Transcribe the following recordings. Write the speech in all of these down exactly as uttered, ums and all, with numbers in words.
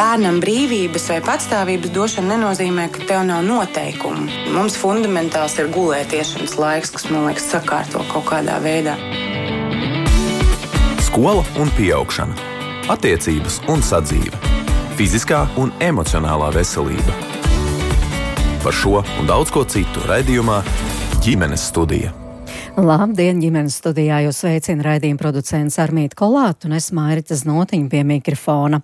Bērnam brīvības vai patstāvības došana nenozīmē, ka tev nav noteikumu. Mums fundamentāls ir gulētiešanas laiks, kas, man liekas, sakārto kaut kādā veidā. Skola un pieaugšana, attiecības un sadzīve, fiziskā un emocionālā veselība. Par šo un daudz ko citu raidījumā Ģimenes studija. Labdien, ģimenes studijā jūs sveicina raidījuma producents Armīta Kolāta un es Mairita Znotiņa pie mikrofona.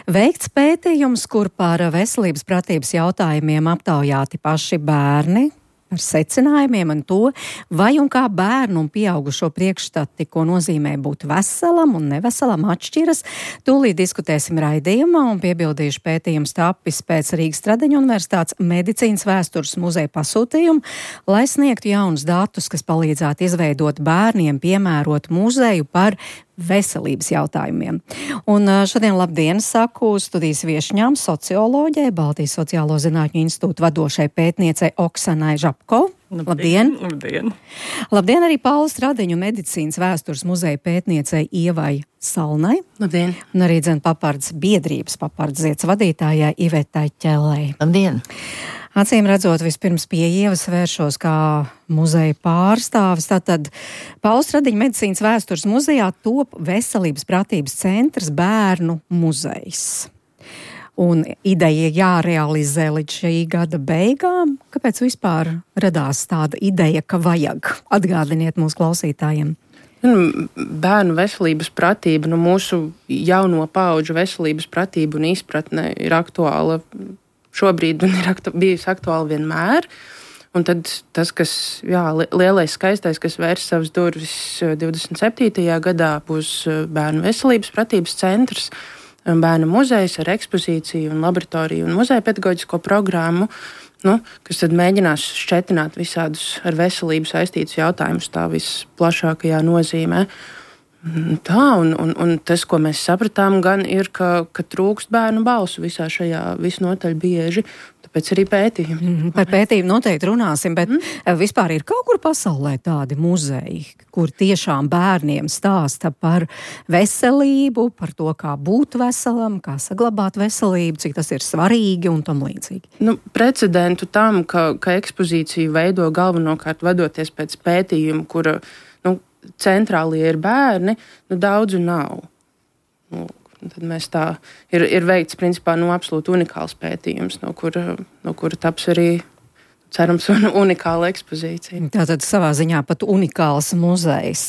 Veikts pētījums, kur par veselības pratības jautājumiem aptaujāti paši bērni, ar secinājumiem un to, vai un kā bērnu un pieaugušo priekšstati, ko nozīmē būt veselam un neveselam, atšķiras. Tūlīt diskutēsim raidījumā un piebildīšu pētījums tapis pēc Rīgas Stradeņu Universitātes medicīnas vēstures muzeja pasūtījumu, lai sniegtu jaunus datus, kas palīdzētu izveidot bērniem piemērotu muzeju par veselības jautājumiem. Un šodien labdien saku studijas viešņām socioloģei, Baltijas Sociālo zinātņu institūta vadošai pētniecei Oksanai Žapko. Labdien! Labdien! Labdien arī Paula Stradeņu medicīnas vēstures muzeja pētniecei Ievai Salnai. Labdien! Un arī dzen papards biedrības papardziets vadītājai Ivetai Ķelei. Labdien! Acīm redzot, vispirms pie Ievas vēršos kā muzeja pārstāvis. Tātad Paula Stradeņu medicīnas vēstures muzejā top veselības pratības centrs bērnu muzejs. Un ideja jārealizē līdz šī gada beigām. Kāpēc vispār radās tāda ideja, ka vajag? Atgādiniet mūsu klausītājiem. Bērnu veselības pratība, nu mūsu jauno paudžu veselības pratība un izpratne ir aktuāla šobrīd un ir aktu, bijusi aktuāli vienmēr. Un tad tas, kas, jā, lielais skaistais, kas vērs savas durvis divdesmit septītajā gadā, būs bērnu veselības pratības centrs, bērnu muzejs ar ekspozīciju un laboratoriju un muzeja pedagoģisko programmu, nu, kas tad mēģinās šķetināt visādus ar veselību saistītus jautājumus tā visplašākajā nozīmē. Tā, un, un, un tas, ko mēs sapratām, gan ir, ka, ka trūkst bērnu balsu visā šajā visnotaļ bieži, tāpēc arī pētījumi. Mm, par pētījumu noteikti runāsim, bet mm. vispār ir kaut kur pasaulē tādi muzeji, kur tiešām bērniem stāsta par veselību, par to, kā būt veselam, kā saglabāt veselību, cik tas ir svarīgi un tam līdzīgi. Nu, precedentu tam, ka, ka ekspozīciju veido galvenokārt vadoties pēc pētījuma, kura centrālie ir bērni, nu daudzu nav. Nu, tad mēs tā, ir, ir veikts principā nu, absolūti unikāls pētījums, no kura, no kura taps arī, cerams, un unikāla ekspozīcija. Tātad savā ziņā pat unikāls muzejs.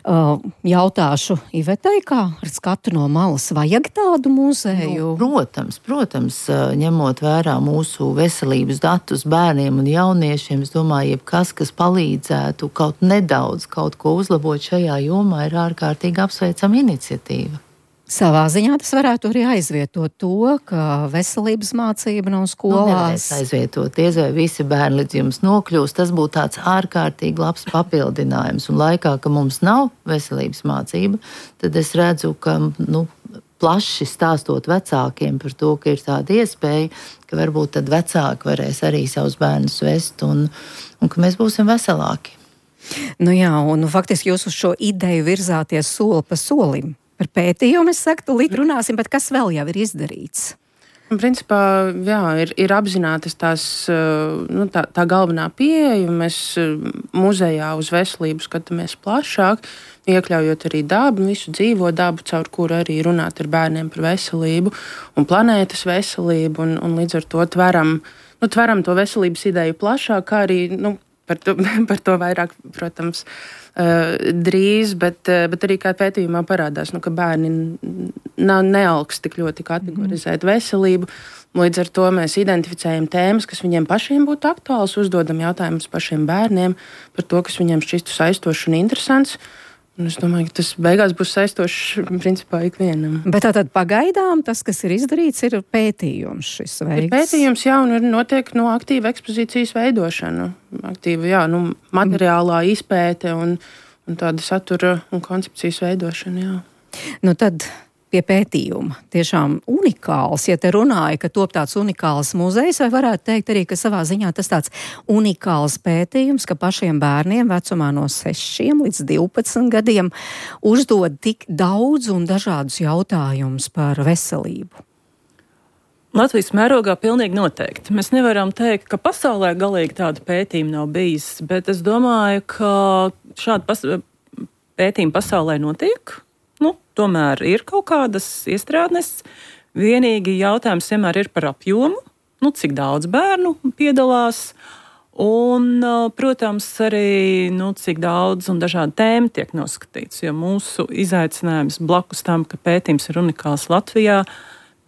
Uh, jautāšu Ivetai, kā ar skatu no malas, vajag tādu muzeju? Nu, protams, protams, ņemot vērā mūsu veselības datus bērniem un jauniešiem, es domāju, jebkas, kas palīdzētu kaut nedaudz kaut ko uzlabot šajā jomā, ir ārkārtīgi apsveicama iniciatīva. Savā ziņā tas varētu arī aizvietot to, ka veselības mācība nav skolās. Nu, nevarēs aizvietot, diez vai visi bērni līdz jums nokļūst. Tas būtu tāds ārkārtīgi labs papildinājums. Un laikā, ka mums nav veselības mācība, tad es redzu, ka nu, plaši stāstot vecākiem par to, ka ir tāda iespēja, ka varbūt tad vecāki varēs arī savus bērnus vest un, un ka mēs būsim veselāki. Nu jā, un faktiski jūs uz šo ideju virzāties soli pa solim. Par pētījumu es saku, tūlīt runāsim, bet kas vēl jau ir izdarīts? Principā, jā, ir, ir apzinātas tās, nu, tā, tā galvenā pieeja. Mēs muzejā uz veselību skatāmies plašāk, iekļaujot arī dabu, visu dzīvo dabu, caur kuru arī runāt ar bērniem par veselību un planētas veselību, un, un līdz ar to tveram, nu, tveram to veselības ideju plašāk, kā arī, nu, par to, par to vairāk, protams, drīz, bet, bet arī kā pētījumā parādās, nu, ka bērni nav nealks tik ļoti kategorizēt veselību. Līdz ar to mēs identificējam tēmas, kas viņiem pašiem būtu aktuāls, uzdodam jautājumus pašiem bērniem par to, kas viņiem šķistu saistošs un interesants. Un es domāju, ka tas beigās būs saistošs principā ikvienam. Bet tātad pagaidām tas, kas ir izdarīts, ir pētījums šis veikts. Ir pētījums, jā, un ir notiek no aktīva ekspozīcijas veidošana. Aktīva, jā, nu, materiālā izpēte un, un tāda satura un koncepcijas veidošana, jā. Nu tad pie pētījuma. Tiešām unikāls, ja te runāja, ka top tāds unikāls muzejs, vai varētu teikt arī, ka savā ziņā tas tāds unikāls pētījums, ka pašiem bērniem vecumā no sešiem līdz divpadsmit gadiem uzdod tik daudz un dažādus jautājumus par veselību. Latvijas mērogā pilnīgi noteikti. Mēs nevaram teikt, ka pasaulē galīgi tāda pētījuma nav bijis, bet es domāju, ka šāda pas pētījuma pasaulē notiek. Nu, tomēr ir kaut kādas iestrādnes. Vienīgi jautājums vienmēr ir par apjomu, nu, cik daudz bērnu piedalās. Un, protams, arī nu, cik daudz un dažādi tēma tiek noskatīts. Jo mūsu izaicinājums blakus tam, ka pētījums ir unikāls Latvijā,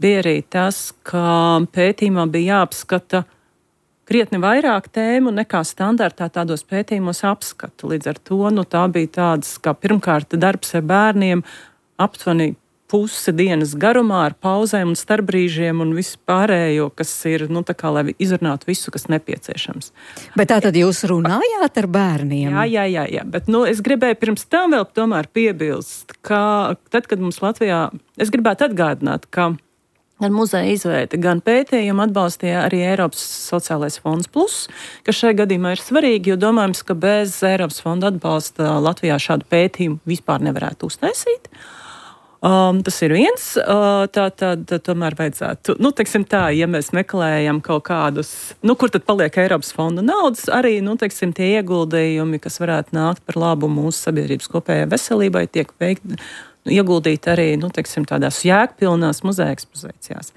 bija arī tas, ka pētījumā bija jāapskata krietni vairāk tēmu nekā standartā tādos pētījumos apskata. Līdz ar to nu, tā bija tāds, kā pirmkārt darbs ar bērniem aptuveni pusi dienas garumā ar pauzēm un starpbrīžiem un visu pārējo, kas ir, nu, tā kā, lai izrunātu visu, kas nepieciešams. Bet tā tad jūs runājāt ar bērniem? Jā, jā, jā, jā. Bet, nu, es gribēju pirms tam vēl tomēr piebilst, ka tad, kad mums Latvijā, es gribētu atgādināt, ka gan muzeja izveide, gan pētījumu atbalstīja arī Eiropas sociālais fonds plus, kas šajā gadījumā ir svarīgi, jo domājams, ka bez Eiropas fonda atbalsta Latvijā šādu pētījumu vispār nevarētu uztaisīt. Um, tas ir viens, uh, tā tad tomēr vajadzētu, nu, teiksim tā, ja mēs meklējam kaut kādus, nu, kur tad paliek Eiropas fonda naudas, arī, nu, teiksim, tie ieguldījumi, kas varētu nākt par labu mūsu sabiedrības kopējai veselībai, tiek veikti, ieguldīt arī, nu, teiksim, tādās jēgpilnās muzeja ekspozīcijās.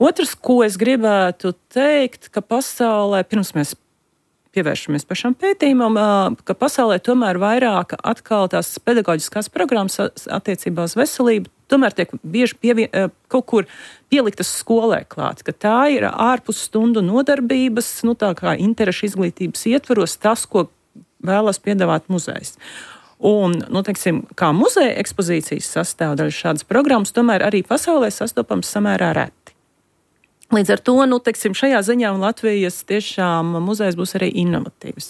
Otrs, ko es gribētu teikt, ka pasaulē, pirms mēs pievēršamies pašam pētījumam, ka pasaulē tomēr vairāk atkal tās pedagoģiskās programmas attiecībā uz veselību tomēr tiek bieži pievien, kaut kur pieliktas skolē klāt, ka tā ir ārpus stundu nodarbības, nu, tā kā interešu izglītības ietvaros tas, ko vēlas piedāvāt muzejs. Un, nu, teiksim, kā muzeja ekspozīcijas sastāvdaļa šādas programmas, tomēr arī pasaulē sastopams samērā reti. Līdz ar to, nu, teiksim, šajā ziņā Latvijas tiešām muzejs būs arī inovatīvs.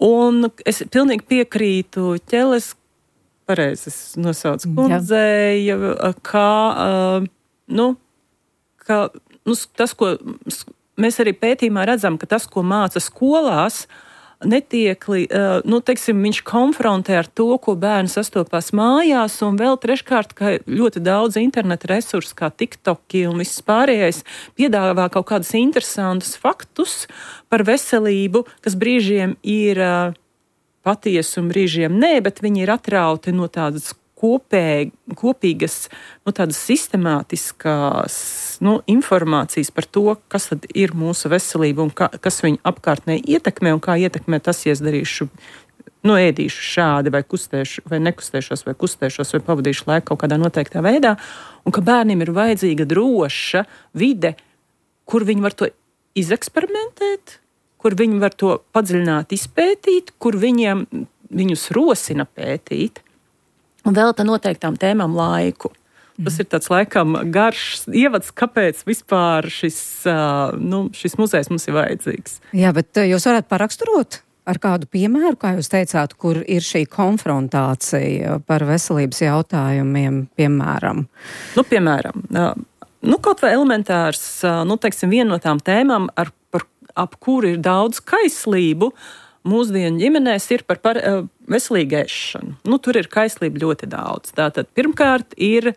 Un es pilnīgi piekrītu Ķeles, pareizi es nosaucu kundzei, kā, nu, ka, nu, tas, ko mēs arī pētījumā redzam, ka tas, ko māca skolās, netiek, nu, teiksim, viņš konfrontē ar to, ko bērni sastopās mājās, un vēl treškārt, ka ļoti daudz interneta resursu, kā TikToki un viss pārējais, piedāvā kaut kādus interesantus faktus par veselību, kas brīžiem ir patiesi un brīžiem nē, bet viņi ir atrauti no tādas kopēj, kopīgas, nu, tādas sistemātiskās, nu, informācijas par to, kas tad ir mūsu veselība un ka, kas viņu apkārtnē ietekmē un kā ietekmē tas, ja es darīšu, nu, ēdīšu šādi vai kustēšu, vai nekustēšos, vai kustēšos, vai pavadīšu laiku kaut kādā noteiktā veidā, un ka bērniem ir vajadzīga droša vide, kur viņi var to izeksperimentēt, kur viņi var to padziļināt, izpētīt, kur viņiem, viņus rosina pētīt, un velta noteiktām tēmām laiku. Tas ir tāds laikam garš ievads, kāpēc vispār šis, nu, šis muzejs mums ir vajadzīgs. Jā, bet jūs varētu paraksturot ar kādu piemēru, kā jūs teicāt, kur ir šī konfrontācija par veselības jautājumiem, piemēram? Nu, piemēram, nu, kaut vai elementārs, nu, teiksim, viena no tām tēmām, ar, par, ap kuru ir daudz kaislību, mūsdienu ģimenēs ir par, par uh, veselīgu ēšanu. Nu, tur ir kaislība ļoti daudz. Tātad pirmkārt ir,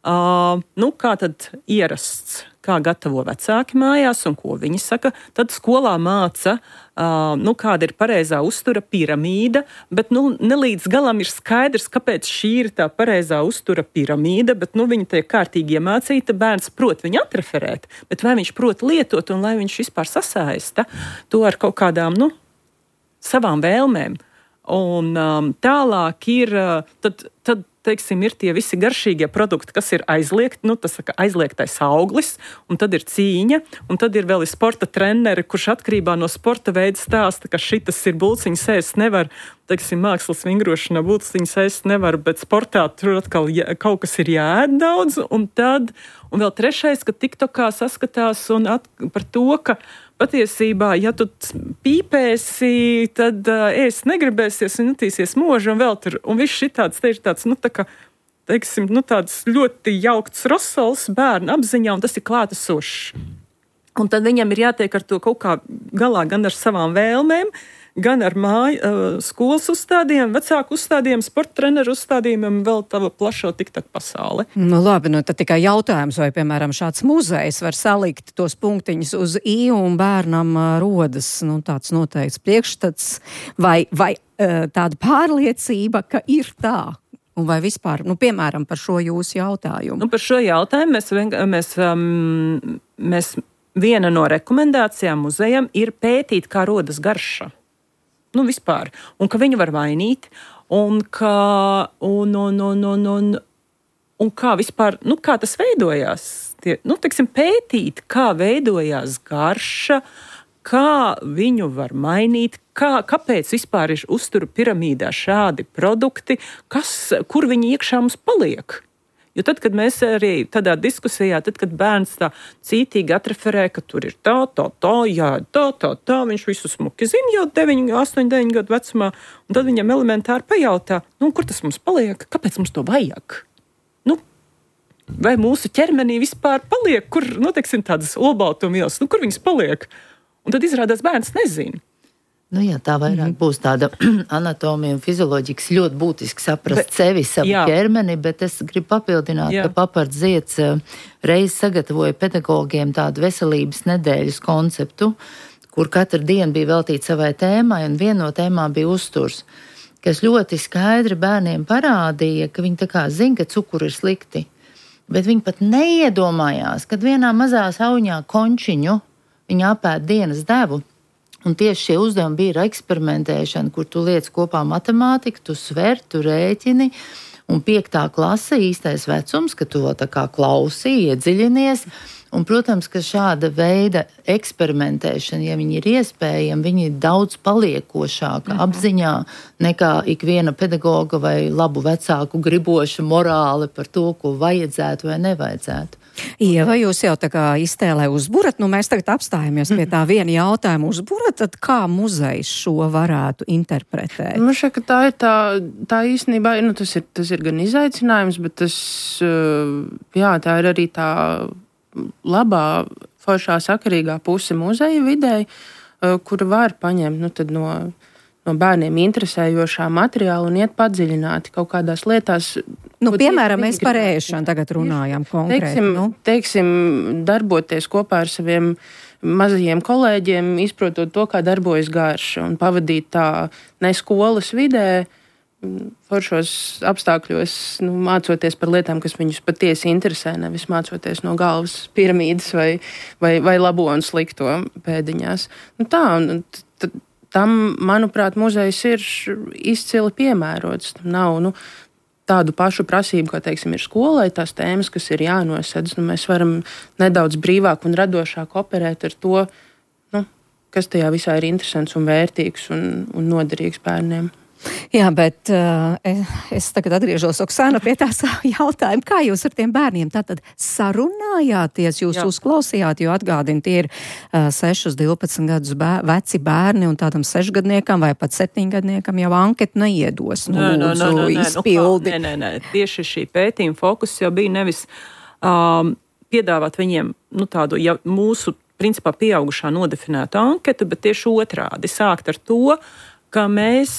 uh, nu, kā tad ierasts, kā gatavo vecāki mājās un ko viņi saka. Tad skolā māca, uh, nu, kāda ir pareizā uztura piramīda, bet, nu, nelīdz galam ir skaidrs, kāpēc šī ir tā pareizā uztura piramīda, bet, nu, viņa tiek kārtīgi iemācīta, bērns prot viņu atreferēt, bet vai viņš prot lietot un lai viņš vispār sasaista to ar kaut kādām, nu, savām vēlmēm. Un um, tālāk ir, tad, tad, teiksim, ir tie visi garšīgie produkti, kas ir aizliegti, nu, tas saka aizliegtais auglis, un tad ir cīņa, un tad ir vēl sporta treneri, kurš atkarībā no sporta veida stāsta, ka šitas ir bulciņas ēst nevar, teiksim, mākslas vingrošanā bulciņas ēst nevar, bet sportā tur atkal jā, kaut kas ir jāēd daudz, un tad, un vēl trešais, ka TikTokā saskatās un at, par to, ka patiesībā, ja tu pīpēsi, tad uh, ēst negribēsies un jutīsies mūžu un vēl tur. Un viss šitāds, te ir tāds, nu, tā kā, teiksim, nu, tāds ļoti jaukts rosols bērnu apziņā, un tas ir klātesošs. Un tad viņam ir jātiek ar to kaut kā galā gan ar savām vēlmēm, gan ar māju, skolas uzstādījumiem, vecāku uzstādījumiem, sporta treneru uzstādījumiem, vēl tādu plašo tiktak pasauli. Nu labi, nu tad tikai jautājums, vai, piemēram, šāds muzejs var salikt tos punktiņus uz I un bērnam rodas, nu, tāds noteikts priekšstats, vai, vai tāda pārliecība, ka ir tā. Un vai vispār, nu, piemēram, par šo jūsu jautājumu? Nu, par šo jautājumu mēs, mēs, um, mēs viena no rekomendācijām muzejam ir pētīt, kā rodas garša. Nu, vispār. Un ka viņu var mainīt, un kā, un, un, un, un, un, un kā vispār, nu, kā tas veidojās. Tie, nu, teiksim, pētīt, kā veidojās garša, kā viņu var mainīt, kā, kāpēc vispār ir uzturu piramīdā šādi produkti, kas, kur viņi iekšā mums paliek. Jo tad, kad mēs arī tādā diskusijā, tad, kad bērns tā cītīgi atreferē, ka tur ir tā, tā, tā, jā, tā, tā, tā, viņš visu smuki zina jau deviņi, astoņi, deviņi gadu vecumā, un tad viņam elementāri pajautā, nu, kur tas mums paliek, kāpēc mums to vajag? Nu, vai mūsu ķermenī vispār paliek, kur, nu, teiksim, tādas olbaltumvielas, nu, kur viņas paliek? Un tad izrādās bērns nezina. Nu jā, tā vairāk mm-hmm. būs tāda anatomija un fizioloģija, kas ļoti būtiski saprast bet, sevi, savu jā. ķermeni, bet es gribu papildināt, jā. ka Papards Zieds reiz sagatavoja pedagogiem tādu veselības nedēļas konceptu, kur katru dienu bija veltīta savai tēmai, un viena no tēmām bija uzturs, kas ļoti skaidri bērniem parādīja, ka viņi tā kā zina, ka cukuri ir slikti, bet viņi pat neiedomājās, kad vienā mazā sauņā končiņu viņi apēd dienas devu. Un tieši šie uzdevumi bija ar eksperimentēšanu, kur tu liec kopā matemātiku, tu sver, tu rēķini, un piektā klase īstais vecums, ka tu tā kā klausī, iedziļinies. Un, protams, ka šāda veida eksperimentēšana, ja viņi ir iespējami, viņi ir daudz paliekošāka mhm. apziņā nekā ikviena pedagoga vai labu vecāku griboša morāli par to, ko vajadzētu vai nevajadzētu. Ieva, jūs jau tā kā iztēlē uzburat, nu mēs tagad apstājamies pie tā viena jautājuma uzburat, tad kā muzejs šo varētu interpretēt? Man šķiet, ka tā ir tā, tā īstenībā, nu tas ir, tas ir gan izaicinājums, bet tas, jā, tā ir arī tā labā, foršā, sakarīgā puse muzeja videi, kura var paņemt, nu tad no... no bērniem interesējošā materiāla un iet padziļināti kaut kādās lietās. Nu, piemēram, mēs par ēšanu tagad runājam konkrēti. Teiksim, nu. teiksim, darboties kopā ar saviem mazajiem kolēģiem, izprotot to, kā darbojas garša, un pavadīt tā ne skolas vidē, foršos apstākļos, nu, mācoties par lietām, kas viņus patiesi interesē, nevis mācoties no galvas piramīdas vai, vai, vai labo un slikto pēdiņās. Nu, tā, un tad tam, manuprāt, muzejs ir izcili piemērots. Tam nav nu, tādu pašu prasību, kā teiksim, ir skolai, tās tēmas, kas ir jānosedz. Nu, mēs varam nedaudz brīvāk un radošāk operēt ar to, nu, kas tajā visā ir interesants un vērtīgs un, un noderīgs bērniem. Jā, bet uh, es tagad atgriežos, Oksana, pie tās jautājuma, kā jūs ar tiem bērniem tātad sarunājāties, jūs Jā. uzklausījāt, jo atgādini, tie ir uh, sešus, divpadsmit gadus bēr, veci bērni un tādam sešgadniekam vai pat septiņgadniekam jau anketu neiedos. Nu, nē, lūdzu, nē, nē, izpildi. Nē, nē, nē, tieši šī pētījuma fokus jau bija nevis um, piedāvāt viņiem nu, tādu ja, mūsu, principā, pieaugušā nodefinētu anketu, bet tieši otrādi sākt ar to, ka mēs,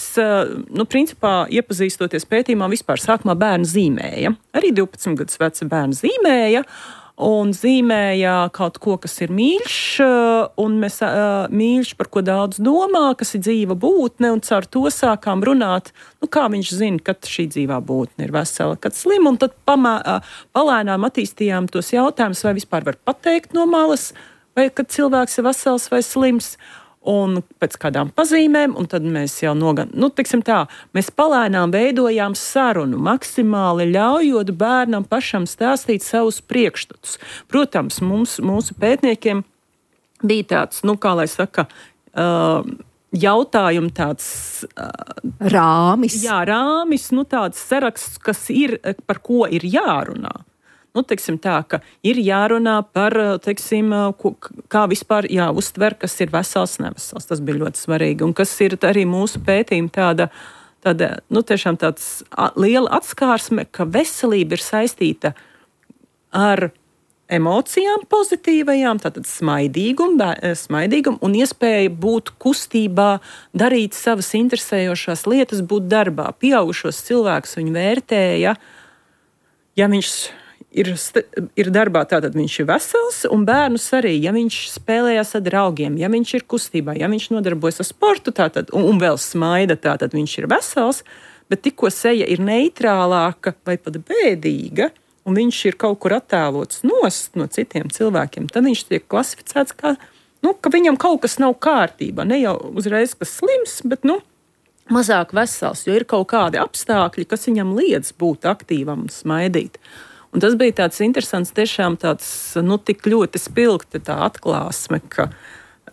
nu, principā, iepazīstoties pētījumā, vispār sākumā bērni zīmēja. Arī divpadsmit gadus veci bērni zīmēja, un zīmēja kaut ko, kas ir mīļš, un mēs mīļš, par ko daudz domā, kas ir dzīva būtne, un caur to sākām runāt, nu, kā viņš zina, kad šī dzīvā būtne ir vesela, kad slima, un tad pamā, palēnām attīstījām tos jautājumus, vai vispār var pateikt no malas, vai kad cilvēks ir vesels vai slims, un pēc kādām pazīmēm, un tad mēs jau nogan, nu, teiksim tā, mēs palēnām veidojām sarunu, maksimāli ļaujot bērnam pašam stāstīt savus priekšstatus. Protams, mums, mūsu pētniekiem bija tāds, nu, kā lai saka, uh, jautājumi tāds... Uh, rāmis. Jā, rāmis, nu, tāds saraksts, kas ir, par ko ir jārunā. Nu, teiksim tā, ka ir jārunā par, teiksim, kā vispār jāuztver, kas ir vesels, nevesels. Tas bija ļoti svarīgi. Un kas ir arī mūsu pētījuma tāda, tāda nu, tiešām tāds liela atskārsme, ka veselība ir saistīta ar emocijām pozitīvajām, tātad smaidīgumu, smaidīgumu un iespēja būt kustībā, darīt savas interesējošās lietas, būt darbā. Pieaugušos cilvēkus viņi vērtēja, ja viņš ir, ir darbā, tātad viņš ir vesels, un bērnus arī, ja viņš spēlējās ar draugiem, ja viņš ir kustībā, ja viņš nodarbojas ar sportu, tātad, un, un vēl smaida, tātad viņš ir vesels, bet tikko seja ir neitrālāka vai pat bēdīga, un viņš ir kaut kur attēlots nost no citiem cilvēkiem, tad viņš tiek klasificēts kā, nu, ka viņam kaut kas nav kārtībā. Ne jau uzreiz kas slims, bet, nu, mazāk vesels, jo ir kaut kādi apstākļi, kas viņam liedz būt aktīvam un smaidīt. Un tas bija tāds interesants, tiešām tāds, nu, tik ļoti spilgti tā atklāsme, ka,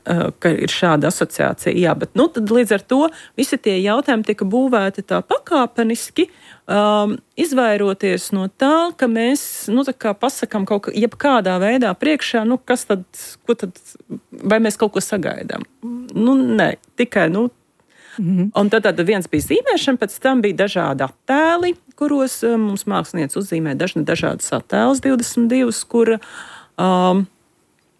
ka ir šāda asociācija. Jā, bet, nu, tad līdz ar to visi tie jautājumi tika būvēti tā pakāpeniski, Um, izvairoties no tā, ka mēs, nu, tā kā pasakām kaut kā, jebkādā veidā priekšā, nu, kas tad, ko tad, vai mēs kaut ko sagaidām? Nu, nē, tikai, nu, mm-hmm. Un tad, tad viens bija zīmēšana, pēc tam bija dažādi attēli, kuros um, mums mākslinieci uzzīmē dažni dažādas attēlus, divdesmit divas, kur um,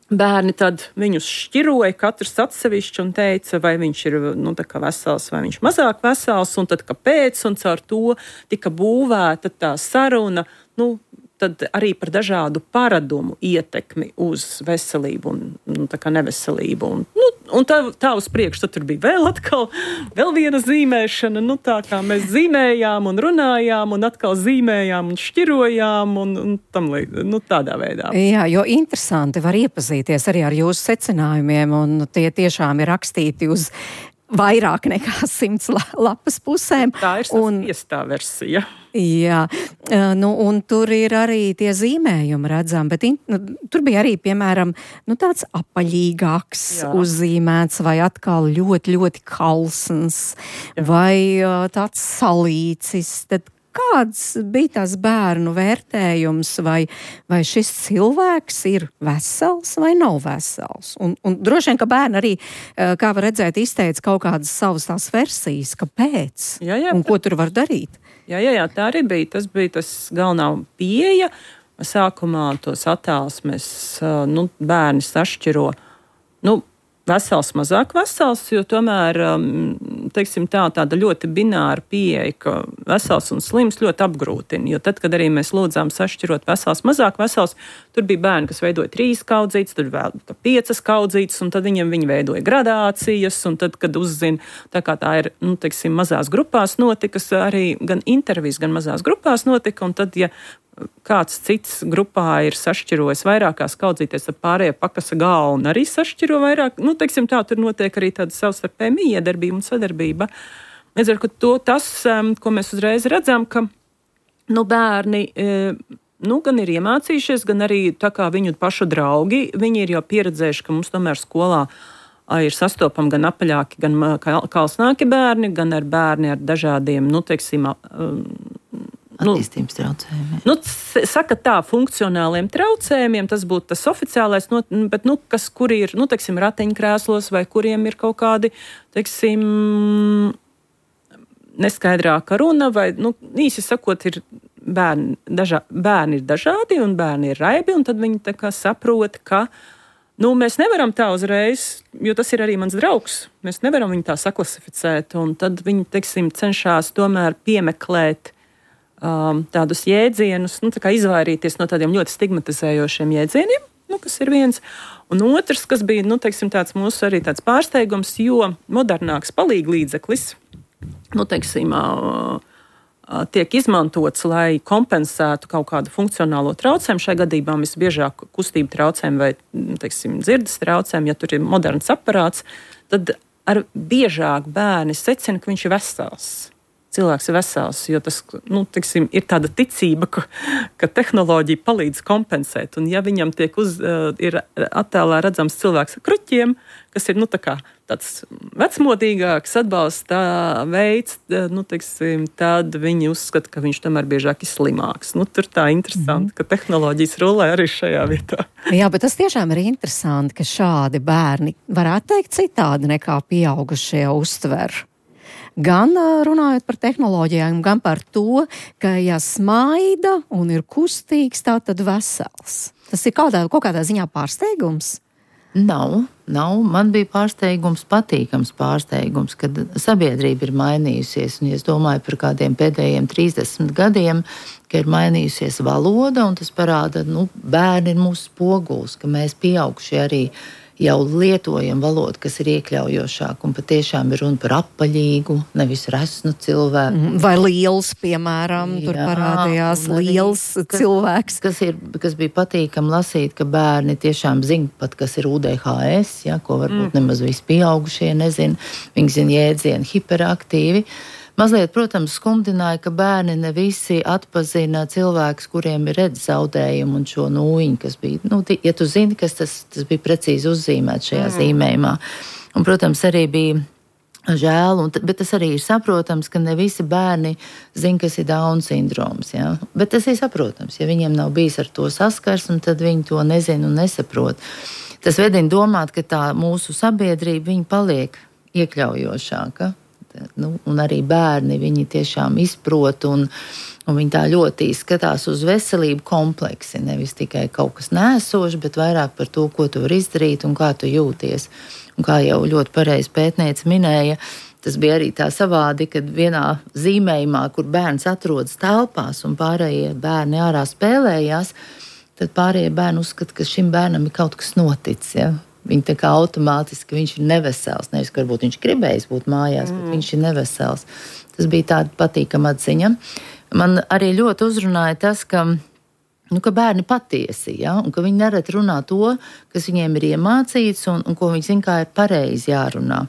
bērni tad viņus šķiroja, katrs atsevišķi un teica, vai viņš ir, nu, tā kā vesels, vai viņš mazāk vesels, un tad kāpēc, un caur to tika būvēta tā saruna, nu, tad arī par dažādu paradumu ietekmi uz veselību un, nu, tā kā neveselību. Un, nu, un tā, tā uz priekšu, tad tur bija vēl atkal, vēl viena zīmēšana, nu, tā kā mēs zīmējām un runājām, un atkal zīmējām un šķirojām, un, un tam līdz, nu, tādā veidā. Jā, jo interesanti var iepazīties arī ar jūsu secinājumiem, un tie tiešām ir rakstīti uz vairāk nekā simts lapas pusēm. Tā ir saspiestā versija. Jā, nu, un tur ir arī tie zīmējumi redzami, bet in, nu, tur bija arī, piemēram, nu, tāds apaļīgāks Jā. Uzzīmēts, vai atkal ļoti, ļoti kalsns, Jā. Vai uh, tāds salīcis. Tad kāds bija tās bērnu vērtējums, vai, vai šis cilvēks ir vesels vai nav vesels? Un, un droši vien, ka bērni arī, kā var redzēt, izteica kaut kādas savas tās versijas, kāpēc jā, jā, un ko tur var darīt. Jā, jā, jā, tā arī bija. Tas bija tas galvenā pieeja. Sākumā tos attēlus mēs, nu, bērni sašķiro, nu, vesels, mazāk vesels, jo tomēr, teiksim tā, tāda ļoti bināra pieeja, ka vesels un slims ļoti apgrūtina, jo tad, kad arī mēs lūdzām sašķirot vesels, mazāk vesels, tur bija bērni, kas veidoja trīs kaudzītes, tur vēl piecas kaudzītes, un tad viņiem viņi veidoja gradācijas, un tad, kad uzzina, tā kā tā ir, nu, teiksim, mazās grupās notikas, arī gan intervijas, gan mazās grupās notika, un tad, ja kāds cits grupā ir sašķirojis vairākās kaudzīties, tad pārējie pakasa galvu un arī sašķiro vairāk. Nu, teiksim tā, tur notiek arī tāda savstarpēja miedarbība un sadarbība. Līdz ar to tas, ko mēs uzreiz redzam, ka, nu, bērni, nu, gan ir iemācījušies, gan arī tā kā viņu pašu draugi, viņi ir jau pieredzējuši, ka mums tomēr skolā ir sastopami gan apaļāki, gan kalsnāki bērni, gan ar bērni ar dažādiem, nu, teiksim, attīstības traucējumiem. Nu, saka tā, funkcionāliem traucējumiem, tas būtu tas oficiālais, no, bet, nu, kas, kuri ir, nu, teiksim, ratiņkrēslos, vai kuriem ir kaut kādi, teiksim, neskaidrāka runa, vai, nu, īsi sakot, ir bērni, dažā, bērni ir dažādi, un bērni ir raibi, un tad viņi tā kā saprot, ka, nu, mēs nevaram tā uzreiz, jo tas ir arī mans draugs, mēs nevaram viņu tā saklasificēt, un tad viņi, teiksim, cenšas tomēr piemeklēt Um, tādus jēdzienus, nu, tā kā izvairīties no tādiem ļoti stigmatizējošiem jēdzieniem, nu, kas ir viens. Un otrs, kas bija, nu, teiksim, tāds mūsu arī tāds pārsteigums, jo modernāks palīglīdzeklis, nu, teiksim, uh, uh, tiek izmantots, lai kompensētu kaut kādu funkcionālo traucējumu. Šai gadījumā visbiežāk kustību traucējumu vai, teiksim, dzirdes traucējumu, ja tur ir moderns aparāts, tad ar biežāk bērni secina, ka viņš ir vesels. Cilvēks ir vesels, jo tas, nu, tiksim, ir tāda ticība, ka, ka tehnoloģija palīdz kompensēt. Un ja viņam tiek uz, uh, ir attēlā redzams cilvēks ar kruķiem, kas ir, nu, tā kā tāds vecmodīgāks atbalsta veids, nu, tiksim, tad viņi uzskata, ka viņš tomēr biežāk ir slimāks. Nu, tur tā interesanti, mm. ka tehnoloģijas rulē arī šajā vietā. Jā, bet tas tiešām ir interesanti, ka šādi bērni varētu teikt citādi nekā pieaugušie uztver. Gan runājot par tehnoloģijām, gan par to, ka ja smaida un ir kustīgs, tā tad vesels. Tas ir kaut kādā, kaut kādā ziņā pārsteigums? Nav, nav. Man bija pārsteigums, patīkams pārsteigums, kad sabiedrība ir mainījusies. Un es domāju par kādiem pēdējiem trīsdesmit gadiem, ka ir mainījusies valoda, un tas parāda, nu, bērni ir mūsu spogulis, ka mēs pieaugušie arī jau lietojam valodu, kas ir iekļaujošāk, un patiešām ir runa par apaļīgu, nevis resnu cilvēku. Vai liels, piemēram, jā, tur parādījās liels kas, cilvēks. Kas, ir, kas bija patīkami lasīt, ka bērni tiešām zina pat, kas ir U D H S, ja, ko varbūt mm. nemaz visi pieaugušie nezina. Viņi zina jēdzienu hiperaktīvi. Mazliet, protams, skumdināja, ka bērni ne visi atpazina cilvēkus, kuriem ir redzes zaudējumi un šo nūjiņu, kas bija, nu, ja tu zini, kas tas, tas bija precīzi uzzīmēts šajā mm. zīmējumā. Un, protams, arī bija žēl, un, bet tas arī ir saprotams, ka ne visi bērni zina, kas ir Down sindroms, ja? Bet tas ir saprotams, ja viņiem nav bijis ar to saskarsmi, tad viņi to nezina un nesaprot. Tas vedina domāt, ka tā mūsu sabiedrība, viņa paliek iekļaujošāka. Nu, un arī bērni, viņi tiešām izprot un, un viņi tā ļoti skatās uz veselību kompleksi, nevis tikai kaut kas nēsoši, bet vairāk par to, ko tu vari izdarīt un kā tu jūties. Un kā jau ļoti pareizi pētniece minēja, tas bija arī tā savādi, kad vienā zīmējumā, kur bērns atrodas telpās un pārējie bērni ārā spēlējās, tad pārējie bērni uzskata, ka šim bērnam ir kaut kas noticis, ja? Viņi tā kā automātiski, viņš ir nevesels. Nevis, ka varbūt viņš gribējis būt mājās, mm. bet viņš ir nevesels. Tas bija tāda patīkama atziņa. Man arī ļoti uzrunāja tas, ka, nu, ka bērni patiesi, ja? Un ka viņi nereti runā to, kas viņiem ir iemācīts un, un ko viņi zina, kā ir pareizi jārunā.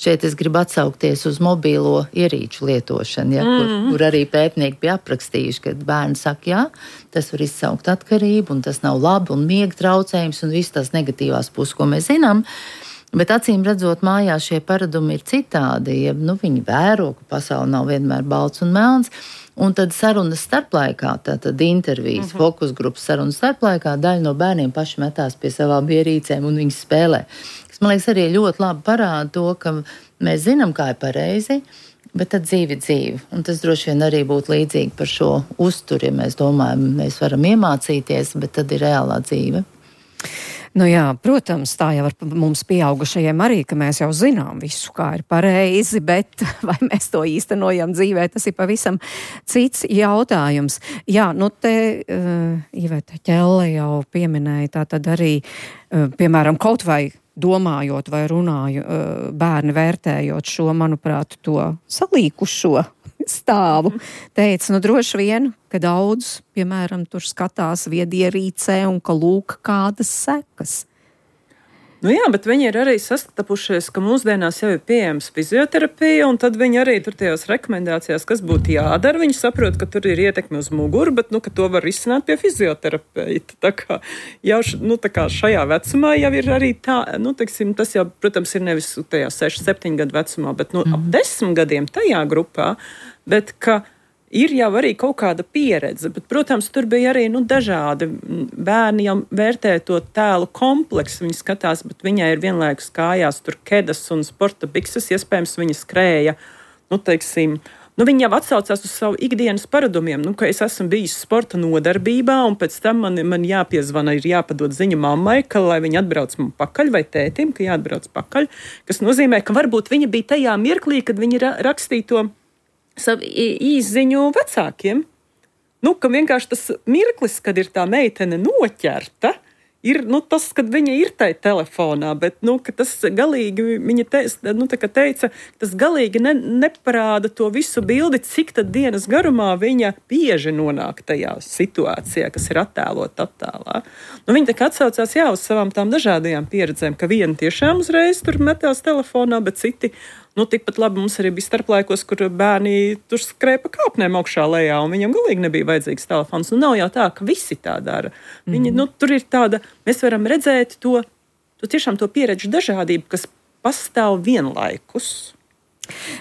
Šeit es gribu atsaukties uz mobīlo ierīču lietošanu, ja, kur, mm. kur arī pētnieki bija aprakstījuši, ka bērni saka, jā, tas var izsaukt atkarību, un tas nav labi, un miega traucējums, un visas tās negatīvās puses, ko mēs zinām. Bet acīm redzot, mājās šie paradumi ir citādi, ja nu, viņi vēro, ka pasaule nav vienmēr balts un melns, un tad sarunas starplaikā, tātad intervijas, mm-hmm. fokus grupas sarunas starplaikā, daļa no bērniem paši metās pie savām ierīcēm un viņi spēlē. Man liekas, arī ļoti labi parāda to, ka mēs zinām, kā ir pareizi, bet tad dzīve ir dzīve. Un tas droši vien arī būtu līdzīgi par šo uzturi, ja mēs domājam, mēs varam iemācīties, bet tad ir reālā dzīve. Nu jā, protams, tā jau ar mums pieaugušajiem arī, ka mēs jau zinām visu, kā ir pareizi, bet vai mēs to īstenojam dzīvē, tas ir pavisam cits jautājums. Jā, nu te uh, Iveta Ķelle jau pieminēja, tā tad arī, uh, piemēram, kaut vai domājot vai runāju, uh, bērni vērtējot šo, manuprāt, to salīkušo stāvu, teica, nu droši vien, ka daudz, piemēram, tur skatās viedierīcē un ka lūk kādas sekas. Nu jā, bet viņi ir arī sastapušies, ka mūsdienās jau ir pieejams fizioterapija, un tad viņi arī tur tajās rekomendācijās, kas būtu jādara, viņi saprot, ka tur ir ietekme uz muguru, bet, nu, ka to var risināt pie fizioterapeita. Tā kā jau nu, tā kā šajā vecumā jau ir arī tā, nu, teiksim, tas jau, protams, ir nevis tajā seši, septiņu gadu vecumā, bet, nu, mm. ap desmit gadiem tajā grupā, bet, ka ir jau arī kaut kāda pieredze, bet, protams, tur bija arī nu, dažādi. Bērni jau vērtē to tēlu kompleksu, viņi skatās, bet viņai ir vienlaikus kājās tur kedas un sporta bikses, iespējams, viņa skrēja, nu, teiksim, nu, viņi jau atsaucās uz savu ikdienas paradumiem, nu, ka es esmu bijis sporta nodarbībā, un pēc tam man, man jāpiezvana, ir jāpadod ziņa mammai, ka, lai viņa atbrauc man pakaļ, vai tētim, ka jāatbrauc pakaļ, kas nozīmē, ka varbūt viņa bija tajā mirklī, kad viņa ra- rakstīja to savu īsziņu vecākiem. Nu, ka vienkārši tas mirklis, kad ir tā meitene noķerta, ir nu, tas, kad viņa ir tai telefonā, bet nu, ka tas galīgi, viņa te, nu, tā kā teica, tas galīgi ne, neparāda to visu bildi, cik tad dienas garumā viņa bieži nonāk tajā situācijā, kas ir attēlot attēlā. Nu, viņa tā kā atsaucās jā, uz savām tām dažādajām pieredzēm, ka viena tiešām uzreiz tur metās telefonā, bet citi nu, tikpat labi mums arī bija starplaikos, kur bērni tur skrēja pa kāpnēm augšā lejā, un viņam galīgi nebija vajadzīgs telefons. Nu, nav jau tā, ka visi tā dara. Viņi, mm. nu, tur ir tāda, mēs varam redzēt to, to tiešām to pieredžu dažādību, kas pastāv vienlaikus.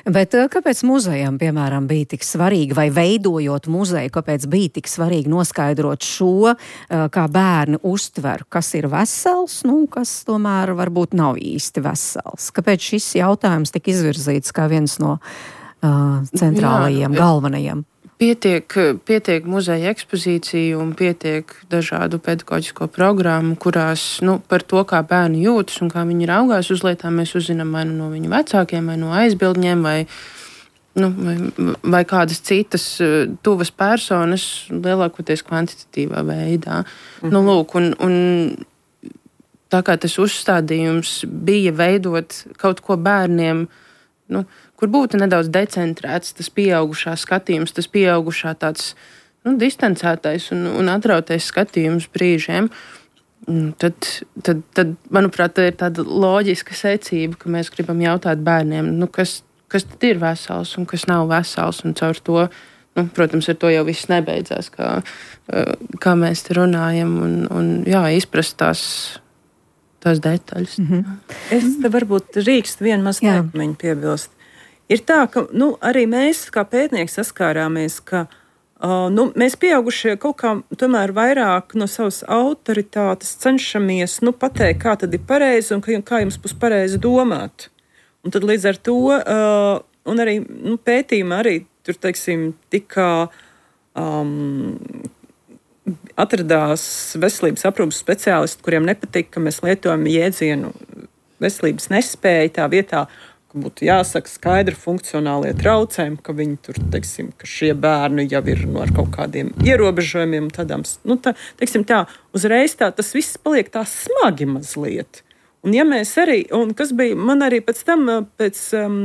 Bet kāpēc muzejam, piemēram, bija tik svarīgi, vai veidojot muzeju, kāpēc bija tik svarīgi noskaidrot šo, kā bērni uztver, kas ir vesels, nu, kas tomēr varbūt nav īsti vesels? Kāpēc šis jautājums tika izvirzīts kā viens no uh, centrālajiem, Jā, galvenajiem? Pietiek, pietiek muzeja ekspozīciju un pietiek dažādu pedagoģisko programmu, kurās nu, par to, kā bērni jūtas un kā viņi raugās uz lietām, mēs uzzinām vai nu no viņu vecākiem, vai no aizbildņiem, vai, nu, vai, vai kādas citas tuvas personas, lielākoties kvantitatīvā veidā. Mm-hmm. Nu, lūk, un, un tā kā tas uzstādījums bija veidot kaut ko bērniem, nu, kur būtu nedaudz decentrēts tas pieaugušā skatījums, tas pieaugušā tāds nu, distancētais un, un atrautais skatījums brīžiem, tad, tad, tad, manuprāt, tā ir tāda loģiska secība, ka mēs gribam jautāt bērniem, nu, kas, kas tad ir vesels un kas nav vesels, un caur to, nu, protams, ar to jau viss nebeidzās, kā, kā mēs te runājam, un, un jā, izprast tās, tās detaļas. Mm-hmm. Es te varbūt drīkst vienu maz teikumiņu piebilst. Ir tā, ka nu, arī mēs, kā pētnieki, saskārāmies, ka uh, nu, mēs pieaugušie kaut kā tomēr vairāk no savas autoritātes cenšamies nu, pateikt, kā tad ir pareizi un kā jums būs pareizi domāt. Un tad līdz ar to, uh, un arī nu, pētījumā arī tur, teiksim, tika um, atradās veselības aprūpes speciālisti, kuriem nepatika, ka mēs lietojam jēdzienu veselības nespēja tā vietā, ka būtu jāsaka skaidri funkcionālie traucējumi, ka viņi tur, teiksim, ka šie bērni jau ir no ar kaut kādiem ierobežojumiem, tādām, nu, tā, teiksim tā, uzreiz tā, tas viss paliek tā smagi mazliet. Un ja mēs arī, un kas bija, man arī pēc tam, pēc um,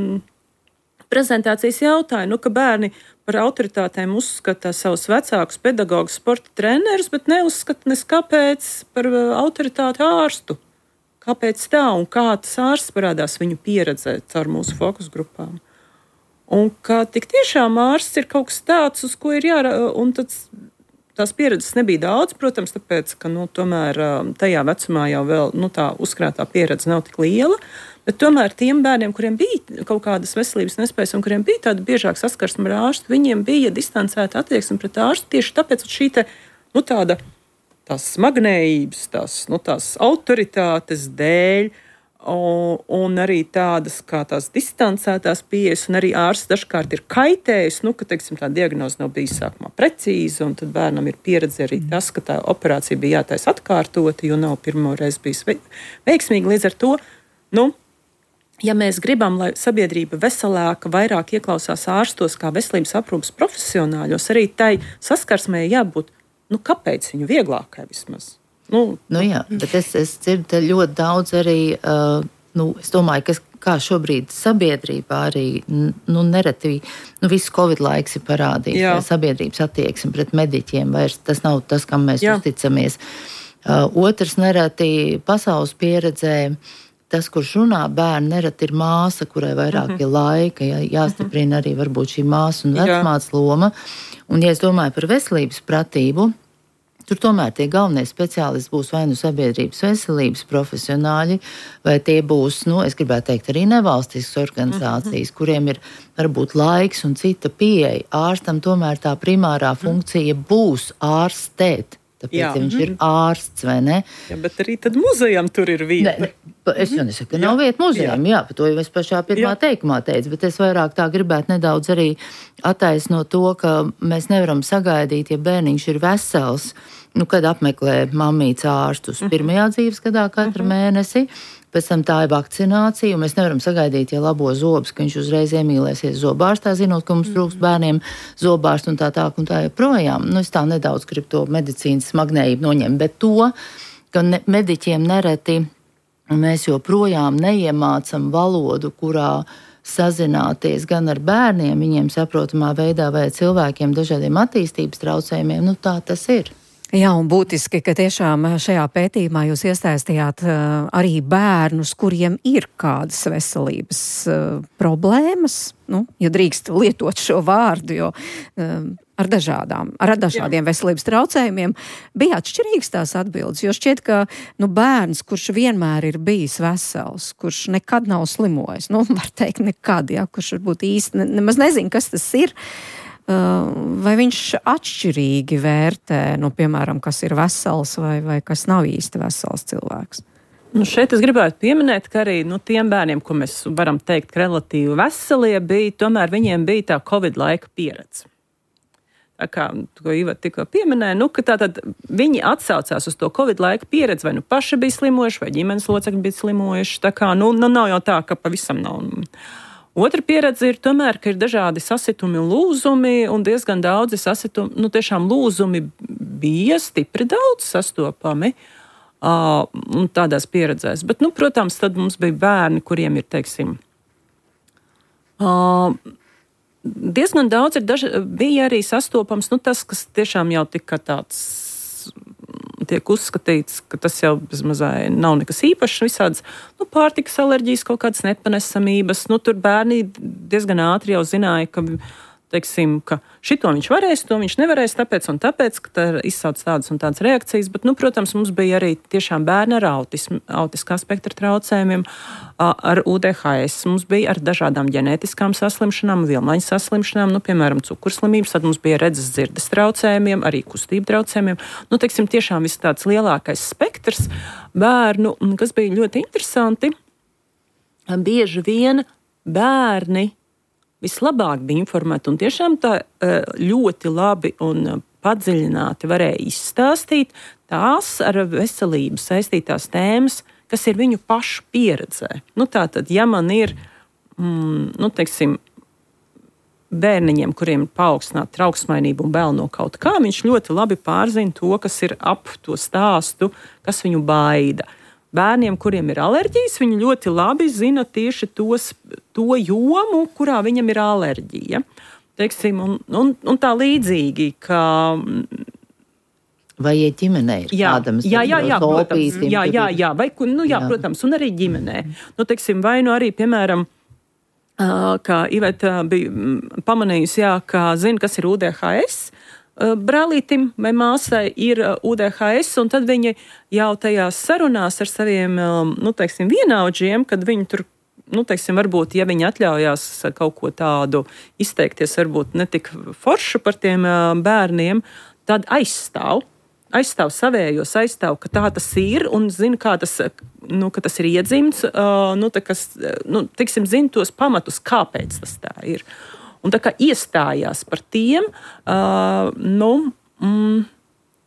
prezentācijas jautāja, nu, ka bērni par autoritātēm uzskata savus vecākus pedagogus, sporta trenerus, bet neuzskata nes kāpēc par autoritāti ārstu. Kāpēc tā un kā tas ārsts parādās viņu pieredzē caur mūsu fokus grupām. Un kā tik tiešām ārsts ir kaut kas tāds, uz ko ir jārā, un tāds, tās pieredzes nebija daudz, protams, tāpēc, ka, nu, tomēr tajā vecumā jau vēl, nu, tā uzkrātā pieredze nav tik liela, bet tomēr tiem bērniem, kuriem bija kaut kādas veselības nespējas un kuriem bija tāda biežāk saskarsme ar ārstu, viņiem bija distancēta attieksme pret ārstu tieši tāpēc, ka šī te, nu, tāda tās smagnējības, tās, nu, tās autoritātes dēļ, un, un arī tādas kā tās distancētās pieejas, un arī ārsts dažkārt ir kaitējis, nu, ka, teiksim, tā diagnoze nav bijis sākumā precīza, un tad bērnam ir pieredze arī tas, ka tā operācija bija jātais atkārtoti, jo nav pirmo reizi bijis veiksmīgi. Līdz ar to, nu, ja mēs gribam, lai sabiedrība veselāka, vairāk ieklausās ārstos kā veselības aprūpes profesionāļos, arī tai saskarsmē jābūt, nu, kāpēc viņu vieglākai vismaz? Nu, nu jā, bet es, es dzirdu ļoti daudz arī, uh, nu, es domāju, kas, kā šobrīd sabiedrībā arī, nu, nereti, nu, viss Covid laiks ir parādījis, jā. Sabiedrības attieksme pret mediķiem vairs, tas nav tas, kam mēs jā. Uzticamies. Uh, otrs nereti pasaules pieredzē, tas, kurš runā bērni, nereti ir māsa, kurai vairāk uh-huh. ir laika, jā, jāstiprina arī varbūt šī māsa un vecmātes loma. Un, ja es domāju par veselības pratību, tur tomēr tie galvenie speciālisti būs vai nu sabiedrības veselības profesionāļi, vai tie būs, nu, es gribētu teikt, arī nevalstiskas organizācijas, kuriem ir varbūt laiks un cita pieeja. Ārstam tomēr tā primārā funkcija būs ārstēt. Tāpēc, jā. Ja viņš ir ārsts, vai ne? Jā, bet arī tad muzejam tur ir vieta. Ne, ne, es jau nesaku, ka nav vieta muzejam, jā. Jā, par to jau es pašā pirmā jā. Teikumā teicu, bet es vairāk tā gribētu nedaudz arī attaisnot to, ka mēs nevaram sagaidīt, ja bērniņš ir vesels, nu, kad apmeklē mammītes ārstus pirmajā dzīves gadā katru uh-huh. mēnesi, pēc tam tā ir vakcinācija, un mēs nevaram sagaidīt, ja labo zobus, ka viņš uzreiz iemīlēsies zobārstā, zinot, ka mums trūkst bērniem zobārstu un tā tā un tā joprojām. Nu, es tā nedaudz gribu to medicīnas smagnējību noņemt, bet to, ka ne, mediķiem nereti mēs joprojām neiemācam valodu, kurā sazināties gan ar bērniem, viņiem saprotamā veidā vai cilvēkiem dažādiem attīstības traucējumiem, nu tā tas ir. Jā, un būtiski, ka tiešām šajā pētījumā jūs iesaistījāt uh, arī bērnus, kuriem ir kādas veselības uh, problēmas, nu, ja drīkst lietot šo vārdu, jo uh, ar dažādām, ar dažādiem Jā. Veselības traucējumiem bija atšķirīgas tās atbildes, jo šķiet, ka nu, bērns, kurš vienmēr ir bijis vesels, kurš nekad nav slimojis, nu, var teikt nekad, ja, kurš varbūt īsti ne, nemaz nezin, kas tas ir, vai viņš atšķirīgi vērtē, nu, piemēram, kas ir vesels vai, vai kas nav īsti vesels cilvēks? Nu, šeit es gribētu pieminēt, ka arī nu, tiem bērniem, ko mēs varam teikt, ka relatīvi veselie bija, tomēr viņiem bija tā Covid laika pieredze. kā to Iveta tikko pieminēja, nu, ka tātad viņi atsaucās uz to Covid laika pieredzi, vai nu paši bija slimojuši, vai ģimenes locekļi bija slimojuši. Tā kā, nu, nu, nav jau tā, ka pavisam nav. Otra pieredze ir tomēr, ka ir dažādi sasitumi un lūzumi, un diezgan daudzi sasitumi, nu, tiešām lūzumi bija stipri daudz sastopami uh, un tādās pieredzēs. Bet, nu, protams, tad mums bija bērni, kuriem ir, teiksim, uh, diezgan daudz ir daži, bija arī sastopams, nu tas, kas tiešām jau tika tāds, tiek uzskatīts, ka tas jau bezmazai nav nekas īpašs, visādas, nu, pārtikas alerģijas, kaut kādas nepanesamības, nu, tur bērni diezgan ātri jau zināja, ka, teiksim, ka šito viņš varēs, to viņš nevarēs, tāpēc un tāpēc, ka tā izsauc tādas un tādas reakcijas, bet, nu, protams, mums bija arī tiešām bērni ar autismu, autiskā spektra traucējumiem, ar U D H S, mums bija ar dažādām ģenētiskām saslimšanām, vilmaņas saslimšanām, nu, piemēram, cukurslimības, tad mums bija redzes dzirdes traucējumiem, arī kustību traucējumiem, nu, teiksim, tiešām viss tāds lielākais spektrs bērnu, kas bija ļoti interesanti, bieži vien bērni vislabāk bija informēti un tiešām tā ļoti labi un padziļināti varēja izstāstīt tās ar veselību saistītās tēmas, kas ir viņu pašu pieredzē. Nu, tātad, ja man ir, mm, nu, teiksim, bērniņiem, kuriem ir paaugstināta trauksmainība un bail no kaut kā, viņš ļoti labi pārzina to, kas ir ap to stāstu, kas viņu baida. Bērniem, kuriem ir alerģijas, viņi ļoti labi zina tieši tos, to jomu, kurā viņam ir alerģija. Teiksim, un, un, un tā līdzīgi, ka... Vai ja ģimenē ir jā, kādam jā, jā, jā, protams, jā, jā, jā, vai, nu, jā, jā. protams, un arī ģimenē. Nu, teiksim, vai nu arī, piemēram, kā Iveta bija pamanījusi, jā, ka zina, kas ir U D H S, brālītim vai māsai ir U D H S, un tad viņi jau tajās sarunās ar saviem, nu, teiksim, vienaudžiem, kad viņi tur, nu, teiksim, varbūt, ja viņi atļaujās kaut ko tādu izteikties, varbūt netik foršu par tiem bērniem, tad aizstāv, aizstāv savējos, aizstāv, ka tā tas ir, un zina, kā tas, nu, ka tas ir iedzimts, nu, tā, kas, nu, teiksim, zina tos pamatus, kāpēc tas tā ir. Un tā kā iestājās par tiem, uh, nu... Mm,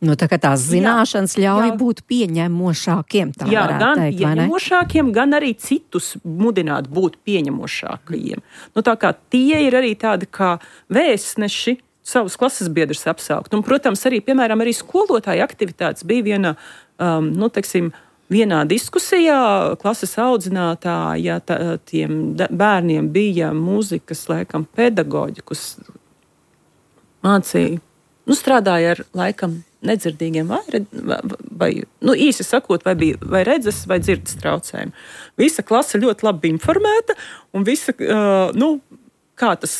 nu, tā kā tās zināšanas jā, ļauj jā. būt pieņemošākiem, tā jā, varētu gan teikt, vai ne? pieņemošākiem, gan arī citus mudināt būt pieņemošākajiem. Nu, tā kā tie ir arī tādi kā vēstneši savus klases biedrus apsaukt. Un, protams, arī, piemēram, arī skolotāja aktivitātes bija viena, um, nu, teiksim, vienā diskusijā klases audzinātāja tā, tiem bērniem bija mūzikas, laikam, pedagoģi, kas mācīja, nu, strādāja ar, laikam, nedzirdīgiem vai, vai nu, īsi sakot, vai bija vai redzes, vai dzirdes traucējumi. Visa klase ļoti labi informēta, un visa, uh, nu, kā tas,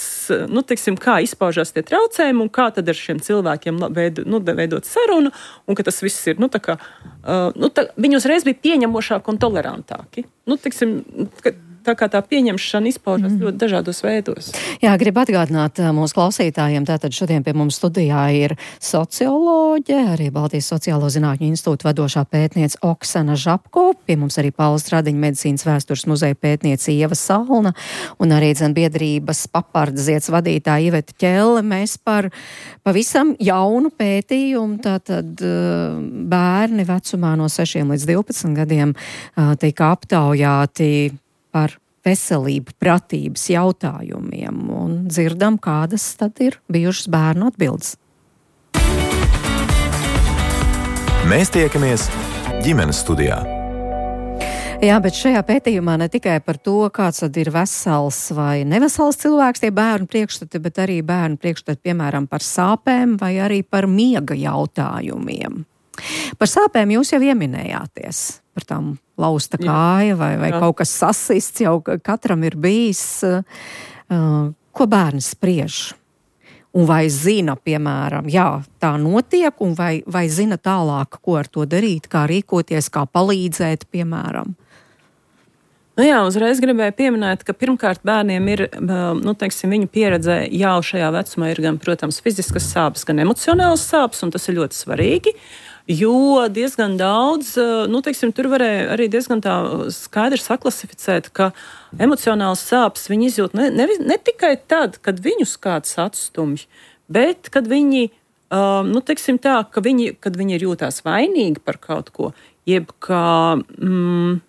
nu, teiksim, kā izpaužās tie traucējumi un kā tad ar šiem cilvēkiem veido, nu, veidot sarunu, un ka tas viss ir, nu, tā kā, uh, nu, tā, viņi uzreiz bija pieņemošāki un tolerantāki. Nu, teiksim, ka, tā kā tā pieņemšana izpaužas mm. ļoti dažādos veidos. Jā, gribu atgādināt mūsu klausītājiem, tātad šodien pie mums studijā ir socioloģe, arī Baltijas Sociālo zinātņu institūta vadošā pētniece Oksana Žapko, pie mums arī Paula Stradiņa medicīnas vēstures muzeja pētniece Ieva Salna un arī dzen biedrības Papardziets vadītāja Iveta Ķelle. Mēs par pavisam jaunu pētījumu, tātad bērni vecumā no sešiem līdz divpadsmit gadiem tika aptaujāti par veselību, pratības jautājumiem un dzirdam, kādas tad ir bijušas bērnu atbildes. Mēs tiekamies ģimenes studijā. Jā, bet šajā pētījumā ne tikai par to, kāds tad ir vesels vai nevesels cilvēks, tie bērnu priekšstati, bet arī bērnu priekšstati, piemēram, par sāpēm vai arī par miega jautājumiem. Par sāpēm jūs jau ieminējāties, par tām lausta kāja vai, vai kaut kas sasists, jau katram ir bijis, uh, ko bērni spriež. Un vai zina, piemēram, jā, tā notiek, un vai, vai zina tālāk, ko ar to darīt, kā rīkoties, kā palīdzēt, piemēram. Nu jā, uzreiz gribēju pieminēt, ka pirmkārt bērniem ir, nu, teiksim, viņu pieredzē jau šajā vecumā ir gan, protams, fiziskas sāpes, gan emocionālas sāpes, un tas ir ļoti svarīgi. Jo diezgan daudz, nu, teiksim, tur varēja arī diezgan tā skaidri saklasificēt, ka emocionāls sāpes viņi izjūt ne, ne, ne tikai tad, kad viņus kāds atstumj, Bet, kad viņi, uh, nu, teiksim tā, ka viņi, kad viņi ir jūtās vainīgi par kaut ko, jeb ka mm,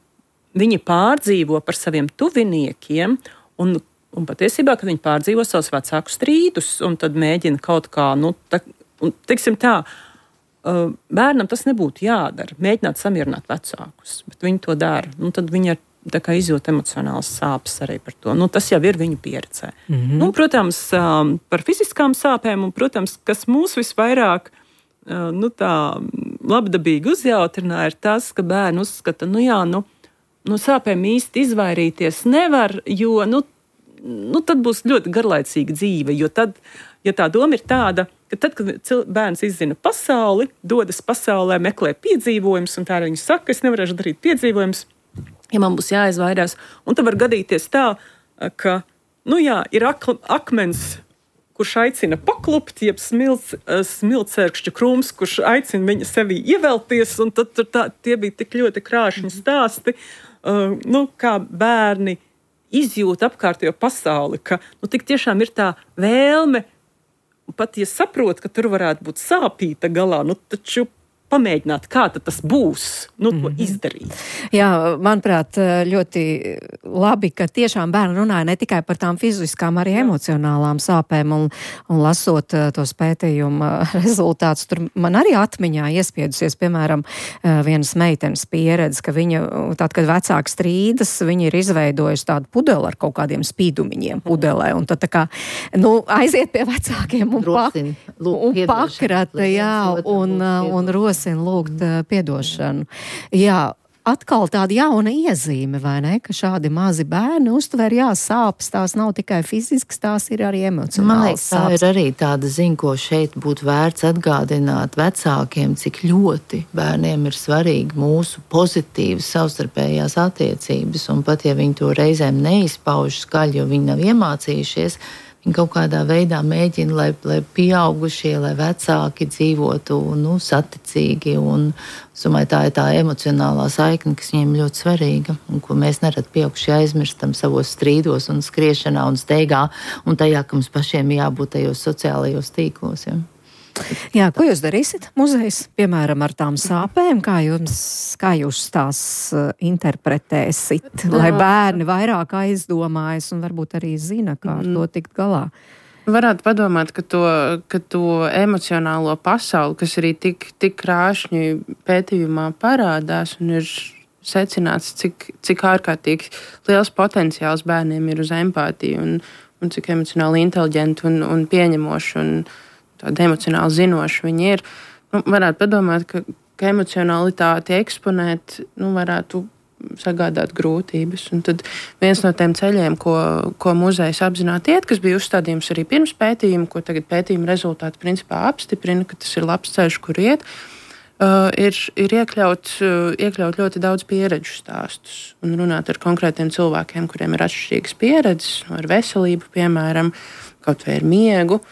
viņi pārdzīvo par saviem tuviniekiem, un, un patiesībā, kad viņi pārdzīvo savus vecāku strīdus, un tad mēģina kaut kā, nu, tā, un, teiksim tā, uh, bērnam tas nebūtu jādara, mēģināt samierināt vecākus, bet viņi to dara, un tad viņi ar tā kā izjūt emocionāls sāpes arī par to. Nu, tas jau ir viņu pieredzē. Mm-hmm. Nu, protams, par fiziskām sāpēm, un, protams, kas mūs visvairāk nu, tā labdabīgi uzjautrināja, ir tas, ka bērni uzskata, nu jā, nu, no sāpēm īsti izvairīties nevar, jo nu, nu, tad būs ļoti garlaicīga dzīve, jo tad, ja tā doma ir tāda, ka tad, kad bērns izzina pasauli, dodas pasaulē, meklē piedzīvojumus, un tā arī viņš saka, es nevarēšu darīt piedzīvojumus, ja man būs jāizvairās. Un tad var gadīties tā, ka, nu jā, ir ak- akmens, kurš aicina paklupt, jeb smilts, smiltcerkšķu krūms, kurš aicina viņa sevī ievelties, un tad tur tā, tie bija tik ļoti krāšņi stāsti, uh, nu, kā bērni izjūt apkārtējo pasauli, ka, nu, tik tiešām ir tā vēlme, pat ja saprot, ka tur varētu būt sāpīta galā, nu, taču pamēģināt, kā tas būs, nu, to mm-hmm. izdarīt. Jā, manuprāt, ļoti labi, ka tiešām bērni runāja ne tikai par tām fiziskām, arī Jā. emocionālām sāpēm, un, un lasot tos pētījuma rezultātus, tur man arī atmiņā iespiedusies, piemēram, vienas meitenes pieredze, ka viņa, tad, kad vecāki strīdas, viņa ir izveidojusi tādu pudeli ar kaut kādiem spīdumiņiem pudelē, un tad tā kā, nu, aiziet pie vecākiem un, Rosin, pak, lūk, un pakrata, jā, un, un rosin lūgt piedošanu. Jā, atkal tāda jauna iezīme, vai ne, ka šādi mazi bērni uztver, jā, sāpes, tās nav tikai fiziskas, tās ir arī emocionāls. Man liekas, tā ir arī tāda ziņa, ko šeit būtu vērts atgādināt vecākiem, cik ļoti bērniem ir svarīgi mūsu pozitīvas savstarpējās attiecības, un pat ja viņi to reizēm neizpauž skaļi, jo viņi nav iemācījušies, viņi kaut kādā veidā mēģina, lai, lai pieaugušie, lai vecāki dzīvotu nu, saticīgi. Un, es domāju, tā ir tā emocionālā saikne, kas viņiem ļoti svarīga un ko mēs nerad pieaugušie aizmirstam savos strīdos un skriešanā un steigā un tajā, ka mums pašiem jābūt tajos sociālajos tīklos. Ja? Jā, ko jūs darīsiet muzejs, piemēram, ar tām sāpēm? Kā, jums, kā jūs tās interpretēsit, lai bērni vairāk aizdomājas un varbūt arī zina, kā ar to tikt galā? Varētu padomāt, ka to, ka to emocionālo pasauli, kas arī tik, tik krāšņi pētījumā parādās un ir secināts, cik, cik ārkārtīgi liels potenciāls bērniem ir uz empātiju un, un cik emocionāli inteliģenti un, un pieņemoši un tāda emocionāli zinoši viņi ir. Nu, varētu padomāt, ka, ka emocionalitāti eksponēt nu, varētu sagādāt grūtības. Un tad viens no tiem ceļiem, ko, ko muzejs apzināti iet, kas bija uzstādījums arī pirms pētījuma, ko tagad pētījuma rezultāti principā apstiprina, ka tas ir labs ceļš, kur iet, uh, ir, ir iekļaut, uh, iekļaut ļoti daudz pieredžu stāstus un runāt ar konkrētiem cilvēkiem, kuriem ir atšķirīgas pieredzes, ar veselību, piemēram, kaut vai ar miegu.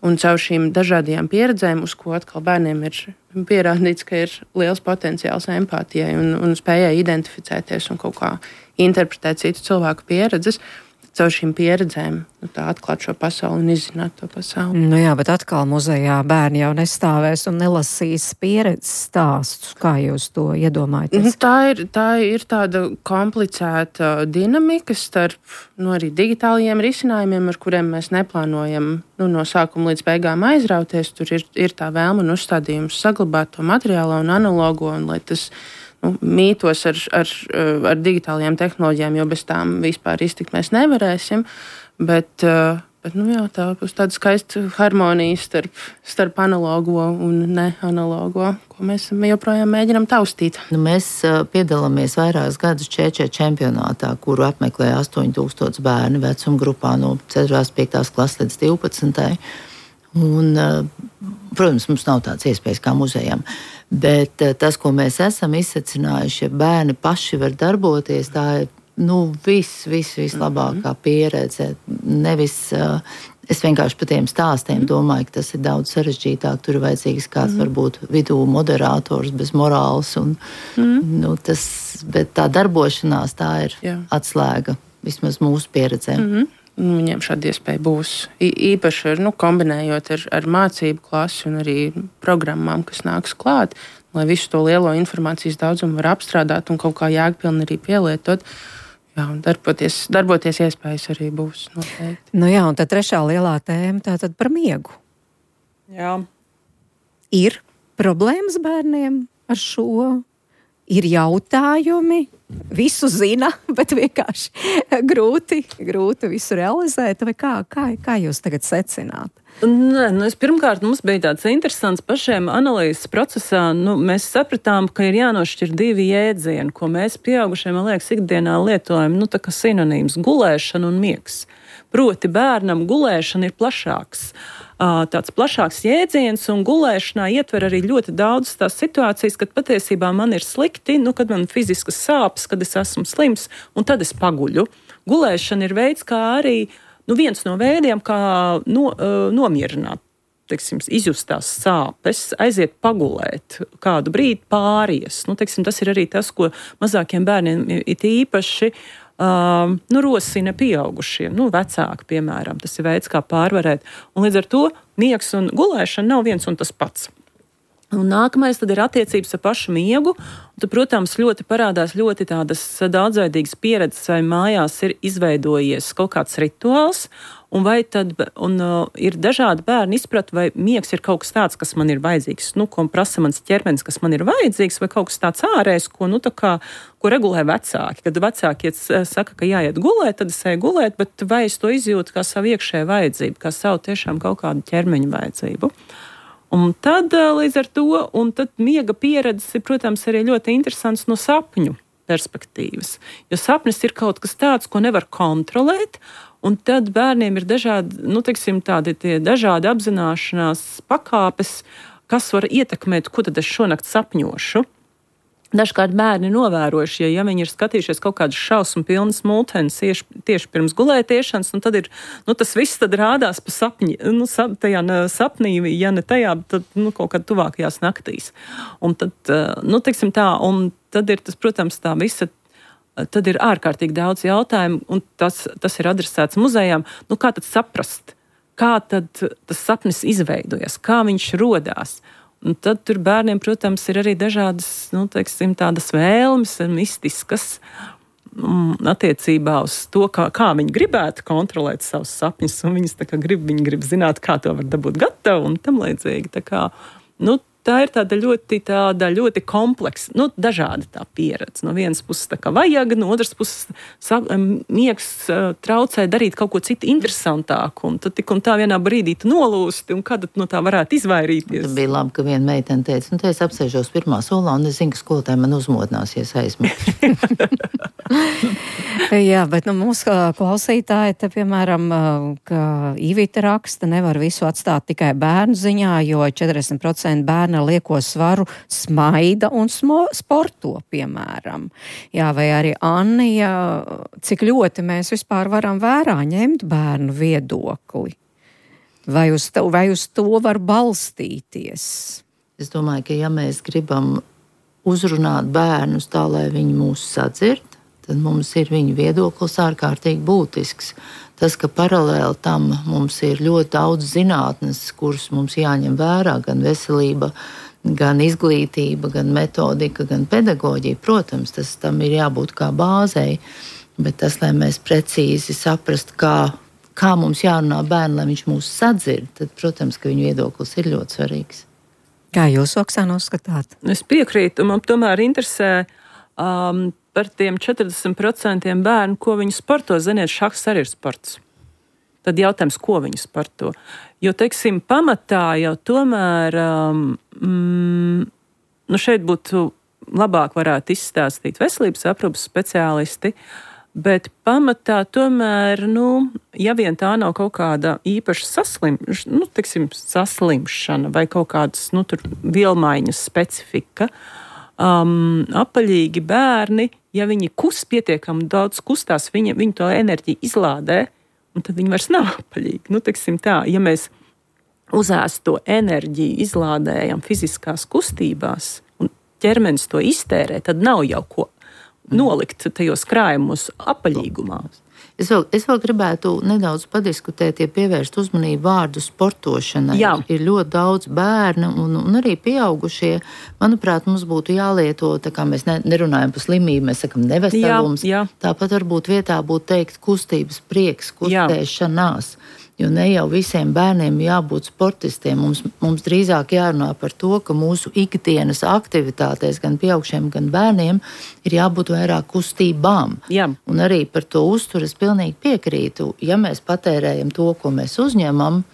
Un caur šīm dažādajām pieredzēm, uz ko atkal bērniem ir pierādīts, ka ir liels potenciāls empātijai un, un spējai identificēties un kaut kā interpretēt citu cilvēku pieredzes, caur šīm pieredzēm nu, tā atklāt šo pasauli un izzināt to pasauli. Nu jā, bet atkal muzejā bērni jau nestāvēs un nelasīs pieredzes stāstus. Kā jūs to iedomājaties? Tā ir, tā ir tāda komplicēta dinamika starp nu, arī digitālajiem risinājumiem, ar kuriem mēs neplānojam nu, no sākuma līdz beigām aizrauties. Tur ir, ir tā vēlme un uzstādījums saglabāt to materiālo un analogo, un lai tas nu, mītos ar, ar, ar digitālajām tehnoloģijām, jo bez tām vispār iztikt mēs nevarēsim. Bet, bet nu, jā, tā būs tāda skaista harmonija starp, starp analogo un neanalogo, ko mēs joprojām mēģinām taustīt. Nu, mēs piedalāmies vairākus gadus čečē čempionātā, kuru apmeklē astoņi tūkstoši bērni vecuma grupā no ceturtās, piektās klases līdz divpadsmitai. Un, protams, mums nav tādas iespējas kā muzejam, bet tas, ko mēs esam izsacinājuši, ja bērni paši var darboties, tā ir nu, viss, viss, vislabākā pieredze. Nevis, es vienkārši par tiem stāstiem domāju, ka tas ir daudz sarežģītāk. Tur ir vajadzīgs kāds, varbūt, vidū moderators bez morāls. Un, nu, tas, bet tā darbošanās, tā ir Jā. atslēga vismaz mūsu pieredzē. Mm-hmm. nu, viņiem šāda iespēja būs. I, īpaši ar, nu, kombinējot ar, ar mācību klasi un arī programmām, kas nāks klāt, lai visu to lielo informācijas daudzumu var apstrādāt un kaut kā jēgpilni arī pielietot. Jā, un darboties, darboties iespējas arī būs noteikti. Nu jā, un tad trešā lielā tēma tātad par miegu. Jā. Ir problēmas bērniem ar šo? Ir jautājumi, visu zina, bet vienkārši grūti, grūti visu realizēt. Vai kā, kā, kā jūs tagad secināt? Nē, nu es pirmkārt, mums bija tāds interesants pašiem analīzes procesā. Nu, mēs sapratām, ka ir jānošķir divi jēdzieni, ko mēs pieaugušie, man liekas, ikdienā lietojam, nu tā kā sinonīms - gulēšana un miegs. Proti bērnam gulēšana ir plašāks. Tāds plašāks jēdziens, un gulēšanā ietver arī ļoti daudz tās situācijas, kad patiesībā man ir slikti, nu, kad man fiziskas sāpes, kad es esmu slims, un tad es paguļu. Gulēšana ir veids, kā arī nu, viens no veidiem, kā no, uh, nomierināt, teiksim, izjustās sāpes, aiziet pagulēt, kādu brīdi pāries. Nu, teiksim, tas ir arī tas, ko mazākiem bērniem it īpaši Uh, nu, rosina pieaugušie, nu, vecāki, piemēram. Tas ir veids, kā pārvarēt. Un līdz ar to miegs un gulēšana nav viens un tas pats. Un nākamais tad ir attiecības ar pašu miegu. Tad, protams, ļoti parādās ļoti tādas daudzveidīgas pieredzes, vai mājās ir izveidojies kaut kāds rituāls, un vai tad un, uh, ir dažādi bērni izprat, vai miegs ir kaut kas tāds, kas man ir vajadzīgs, nu, ko prasa mans ķermenis, kas man ir vajadzīgs, vai kaut kas tāds ārējs, ko, nu, tā kā, ko regulē vecāki. Kad vecāki iet, saka, ka jāiet gulēt, tad es eju gulēt, bet vai es to izjūtu kā savu iekšēju vajadzību, kā savu tiešām kaut kādu ķermeņa vajadzību. Un tad līdz ar to, un tad miega pieredzes ir, protams, arī ļoti interesants no sapņu perspektīvas. Jo sapnis ir kaut kas tāds, ko nevar kontrolēt, un tad bērniem ir dažādi, nu, teiksim, tādi tie dažādi apzināšanās pakāpes, kas var ietekmēt, ko tad es šonakt sapņošu. Dažkārt bērni novērojuši, ja, ja viņi ir skatījušies kaut kādas šausmu pilnas multenes tieši, tieši pirms gulētiešanas, un tad ir, nu, tas viss tad rādās pa sapņi, nu, sap, tajā sapnī, ja ne tajā, tad, nu, kaut kad tuvākajās naktīs. Un tad, nu, teiksim tā, un tad ir tas, protams, tā visa, tad ir ārkārtīgi daudz jautājumu, un tas, tas ir adresēts muzejām. Nu, kā tad saprast? Kā tad tas sapnis izveidojas? Kā viņš rodās? Un tad tur bērniem, protams, ir arī dažādas, nu, teiksim, tādas vēlmes, mistiskas um, attiecībā uz to, kā, kā viņi gribētu kontrolēt savus sapņus, un viņas tā kā grib, viņi grib zināt, kā to var dabūt gatavu un tam līdzīgi. Tā kā, nu, tā ir tāda ļoti, tāda ļoti kompleksa, nu, dažāda tā pieredze. No vienas puses tā kā vajag, no otras puses sap, miegs uh, traucē darīt kaut ko citu interesantāku, un tad tik un tā vienā brīdī tu nolūsti, un kad no tā varētu izvairīties. Tas bija labi, ka viena meitene teica, nu, te es apsēžos pirmā solā, un es zinu, ka skolotāji man uzmodināsies aizmirst. Jā, bet nu, mūsu klausītāji te, piemēram, ka Ivita raksta, nevar visu atstāt tikai bērnu ziņā, jo četrdesmit procenti bērnu ar lieko svaru smaida un smo, sporto, piemēram. Jā, vai arī Annija, cik ļoti mēs vispār varam vērā ņemt bērnu viedokli? Vai uz, to, vai uz to var balstīties? Es domāju, ka ja mēs gribam uzrunāt bērnus tā, lai viņi mūs sadzird, tad mums ir viņa viedoklis ārkārtīgi būtisks. Tas, ka paralēli tam mums ir ļoti daudz zinātnes, kuras mums jāņem vērā, gan veselība, gan izglītība, gan metodika, gan pedagoģija, protams, tas tam ir jābūt kā bāzei, bet tas, lai mēs precīzi saprast, kā, kā mums jārunā bērnu, lai viņš mūs sadzird, tad, protams, ka viņa viedoklis ir ļoti svarīgs. Kā jūs, Oksana, uzskatāt? Es piekrītu, man tomēr interesē um, par tiem četrdesmit procentiem bērnu, ko viņi sporto. Ziniet, šahs arī ir sports. Tad jautājums, ko viņi sporto. Jo, teiksim, pamatā jau tomēr, um, mm, nu šeit būtu labāk varētu izstāstīt veselības aprūpes speciālisti, bet pamatā tomēr, nu, ja vien tā nav kaut kāda īpaša saslim, nu, teiksim, saslimšana vai kaut kādas, nu, tur vielmaiņas specifika, Um, apaļīgi bērni, ja viņi kust pietiekami daudz kustās, viņi, viņi to enerģiju izlādē, un tad viņi vairs nav apaļīgi. Nu, teiksim tā, ja mēs uzēst to enerģiju izlādējam fiziskās kustībās, un ķermenis to iztērē, tad nav jau ko nolikt tajos krājumos apaļīgumā. Es vēl, es vēl gribētu nedaudz padiskutēt, ja pievērst uzmanību vārdu sportošanai. Jā. Ir ļoti daudz bērnu un, un arī pieaugušie. Manuprāt, mums būtu jālieto, tā kā mēs ne, nerunājam par slimību, mēs sakam neveselums. Jā, jā. Tāpat varbūt vietā būtu teikt kustības prieks, kustēšanās. Jo ne jau visiem bērniem jābūt sportistiem. Mums, mums drīzāk jārunā par to, ka mūsu ikdienas aktivitātēs gan pieaugšiem, gan bērniem ir jābūt vairāk kustībām. Jā. Un arī par to uzturu es pilnīgi piekrītu. Ja mēs patērējam to, ko mēs uzņemam,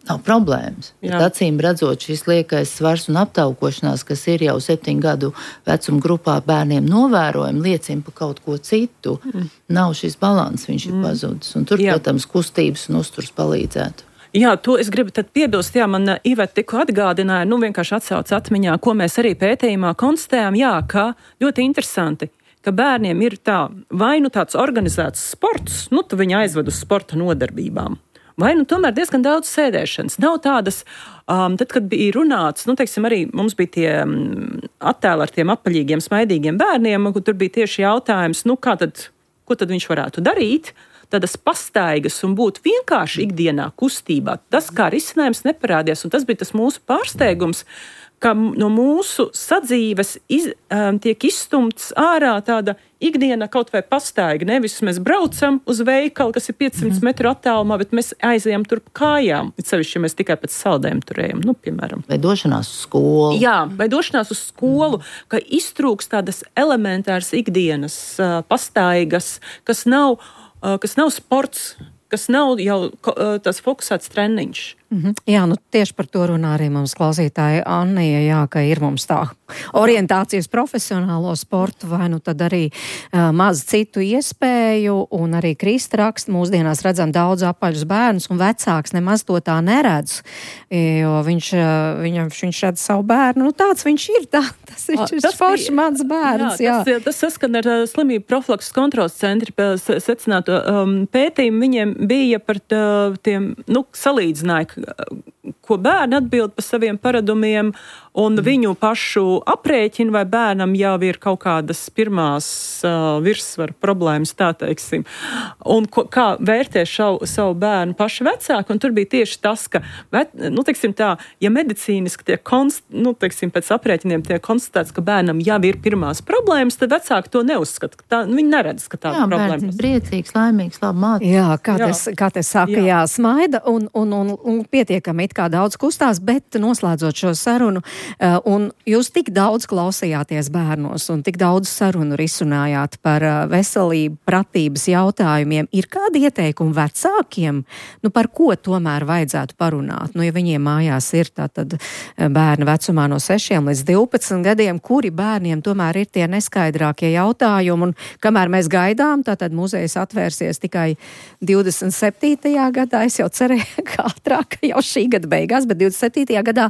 nav problēmas. Bet acīm redzot, šis liekais svars un aptaukošanās, kas ir jau septiņu gadu vecuma grupā bērniem novērojami, liecina par kaut ko citu. Mm. Nav šis balans, viņš ir mm. pazudis. Un tur, jā. Protams, kustības un uzturs palīdzētu. Jā, to es gribu tad piebilst. Jā, man Iveta tikko atgādināja, nu vienkārši atsauc atmiņā, ko mēs arī pētījumā konstatējām, jā, ka ļoti interesanti, ka bērniem ir tā, vai nu tāds organizēts sports, nu tu viņi aizved uz sporta nodarbībām. Vai nu tomēr diezgan daudz sēdēšanas. Nav tādas, um, tad, kad bija runāts, nu, teiksim, arī mums bija tie um, attēli ar tiem apaļīgiem, smaidīgiem bērniem, kur tur bija tieši jautājums, nu, kā tad, ko tad viņš varētu darīt, tādas pastaigas un būt vienkārši ikdienā kustībā. Tas kā risinājums neparādījās, un tas bija tas mūsu pārsteigums, ka no mūsu sadzīves iz, um, tiek izstumts ārā tāda ikdiena kaut vai pastaiga. Nevis mēs braucam uz veikalu, kas ir piecsimt metru attālumā, bet mēs aizejam turp kājām. It sevišķi, ja mēs tikai pēc saldēm turējam, nu, piemēram. Vai došanās uz skolu. Jā, vai došanās uz skolu, mm. ka iztrūks tādas elementāras ikdienas uh, pastaigas, kas nav, uh, kas nav sports, kas nav jau uh, tas fokusēts treniņš. Mm-hmm. Jā, nu tieši par to runā arī mums klausītāja Annija, jā, ka ir mums tā orientācijas profesionālo sportu, vai nu tad arī uh, maz citu iespēju, un arī Krista raksta, mūsdienās redzam daudz apaļus bērnus, un vecāks nemaz to tā neredz, jo viņš, uh, viņam, viņš redz savu bērnu, nu tāds viņš ir, tā, tas ir šis forši mans bērns. Jā, jā. Tas, tas saskan ar uh, slimību profilakses kontroles centri secināto um, pētījumu, viņiem bija par tā, tiem, nu, salīdzināja, ko bērni atbild par saviem paradumiem un mm. viņu pašu aprēķinu, vai bērnam jau ir kaut kādas pirmās uh, virsvaru problēmas, tā teiksim. Un ko, kā vērtē šau, savu bērnu paši vecāki, un tur bija tieši tas, ka, nu, teiksim tā, ja medicīniski tiek, konst, nu, teiksim, pēc aprēķiniem tiek konstatēts, ka bērnam jau ir pirmās problēmas, tad vecāki to neuzskata. Tā, viņi neredz, ka tāda problēma. Jā, bērns priecīgs, laimīgs, labi mācīt. Jā, kā jā. Tas, kā te saka, jā, jā smaida un, un, un, un pietiekami it kā daudz kustās, bet noslēdzot šo sarunu, uh, un jūs tik daudz klausījāties bērnos un tik daudz sarunu risinājāt par uh, veselību, pratības jautājumiem, ir kādi ieteikumi vecākiem, nu par ko tomēr vajadzētu parunāt? Nu, ja viņiem mājās ir tātad bērni vecumā no sešiem līdz divpadsmit gadiem, kuri bērniem tomēr ir tie neskaidrākie jautājumi, un kamēr mēs gaidām, tātad muzejs atvērsies tikai divdesmit septītajā gadā, es jau cerēju, ka ātrāk, jau šī gada beigās, bet divdesmit septītajā gadā,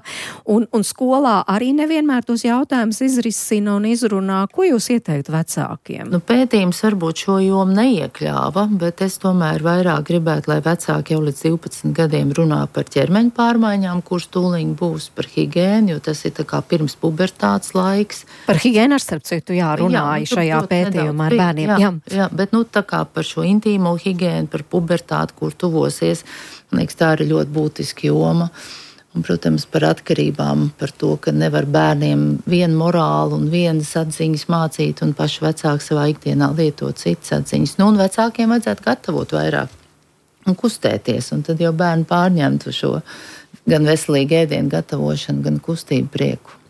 un, un skolā arī nevienmēr tos jautājumus izrisina un izrunā. Ko jūs ieteiktu vecākiem? Nu, pētījums varbūt šo jomu neiekļāva, bet es tomēr vairāk gribētu, lai vecāki jau līdz divpadsmit gadiem runā par ķermeņa pārmaiņām, kurš tūliņ būs, par higiēnu, jo tas ir tā kā pirms pubertātes laiks. Par higiēnu ar starp citu, jā, runāja jā, šajā pētījumā ar bērniem. Jā, jā. jā, bet nu tā kā par šo intīmo higiēnu, par pubertāti, kur tuvosies, man liekas, tā ir ļoti būtiska joma. Un, protams, par atkarībām, par to, ka nevar bērniem vienu morālu un vienas atziņas mācīt, un paši vecāki savā ikdienā lietot citas atziņas. Nu, un vecākiem vajadzētu gatavot vairāk un kustēties, un tad jau bērni pārņemtu šo gan veselīgu ēdienu gatavošanu, gan kustību prieku.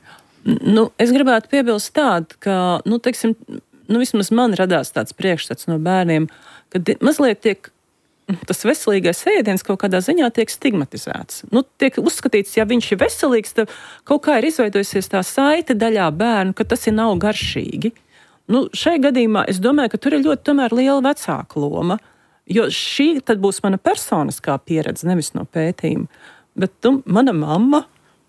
Nu, es gribētu piebilst tādu, ka, nu, teiksim, nu, vismaz man radās tāds priekšstats no bērniem, ka mazliet tiek tas veselīgais ēdiens kaut kādā ziņā tiek stigmatizēts. Nu, tiek uzskatīts, ja viņš ir veselīgs, tad kaut kā ir izveidojusies tā saite daļā bērnu, ka tas ir nav garšīgi. Nu, šai gadījumā es domāju, ka tur ir ļoti tomēr liela vecāka loma, jo šī tad būs mana personiskā pieredze, nevis no pētījuma. Bet nu, mana mamma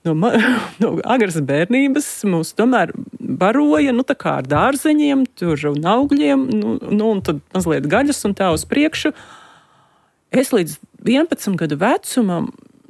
no, ma, no agras bērnības mūs tomēr baroja, nu, tā kā ar dārzeņiem, tur un augļiem, nu, nu, un tad mazliet gaļas un tā uz priekšu. Es līdz vienpadsmit gadu vecumam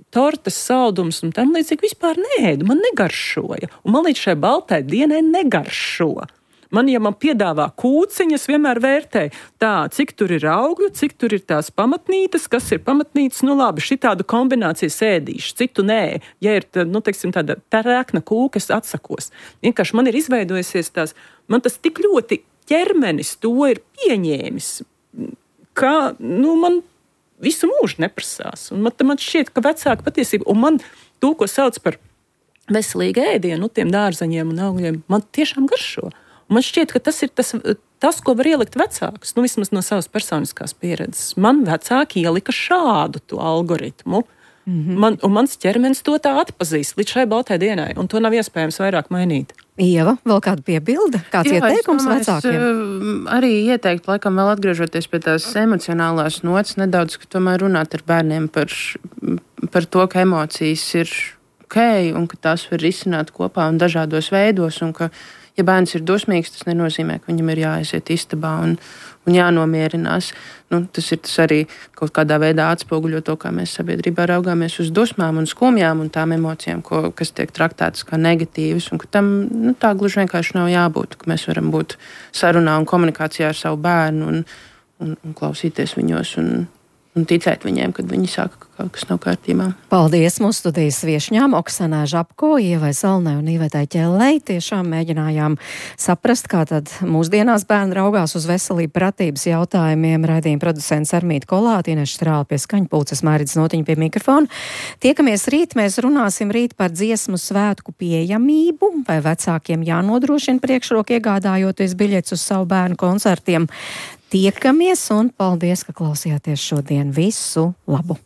tortes, saldums un tam līdzīgi vispār neēdu, man negaršoja. Un man līdz šai baltai dienai negaršo. Man, ja man piedāvā kūciņas, vienmēr vērtēju tā, cik tur ir augļu, cik tur ir tās pamatnītes, kas ir pamatnītes, nu labi, šitādu kombināciju sēdīšu, citu nē. Ja ir, nu, teiksim, tāda rēkna kūka, es atsakos. Vienkārši man ir izveidojusies tās, man tas tik ļoti ķermenis to ir pieņēmis, ka, nu, man visu mūžu neprasās. Un man, man šķiet, ka vecāka patiesība, un man to, ko sauc par veselīgu ēdienu, nu, tiem dārzaņiem un augļiem, man tiešām garšo. Man šķiet, ka tas ir tas, tas, ko var ielikt vecāks, nu vismaz no savas personiskās pieredzes. Man vecāki ielika šādu to algoritmu, mm-hmm. man, un mans ķermenis to tā atpazīst līdz šai baltai dienai, un to nav iespējams vairāk mainīt. Ieva, vēl kāda piebilde? Kāds Jā, ieteikums domāju, vecākiem? Es arī ieteiktu, laikam vēl atgriežoties pie tās emocionālās nots, nedaudz, ka tomēr runāt ar bērniem par, par to, ka emocijas ir ok, un ka tās var risināt kopā un dažādos veidos, un ka ja bērns ir dusmīgs, tas nenozīmē, ka viņam ir jāaiziet istabā un, un jānomierinās. Nu, tas ir tas arī kaut kādā veidā atspoguļo to, kā mēs sabiedrībā raugāmies uz dusmām un skumjām un tām emocijām, ko, kas tiek traktētas kā negatīvas, un ka tam nu, tā gluži vienkārši nav jābūt, ka mēs varam būt sarunā un komunikācijā ar savu bērnu un, un, un klausīties viņos un, un ticēt viņiem, kad viņi saka, ka kaut kas nav kārtībā. Paldies mūsu studijas viešņām, Oksanai Žapko, Ievai Salnai un Ivetai Ķellei. Tiešām mēģinājām saprast, kā tad mūsdienās bērni raugās uz veselību pratības jautājumiem. Raidījuma producents Armīta Kolāte, Ineša Strāle pie skaņpulces, Mairits Notiņa pie mikrofona. Tiekamies rīt, mēs runāsim rīt par dziesmu svētku pieejamību, vai vecākiem jānodrošina priekšroka iegādājoties biļetes uz savu bērnu koncertiem. Tiekamies un paldies, ka klausījāties šodien. Visu labu!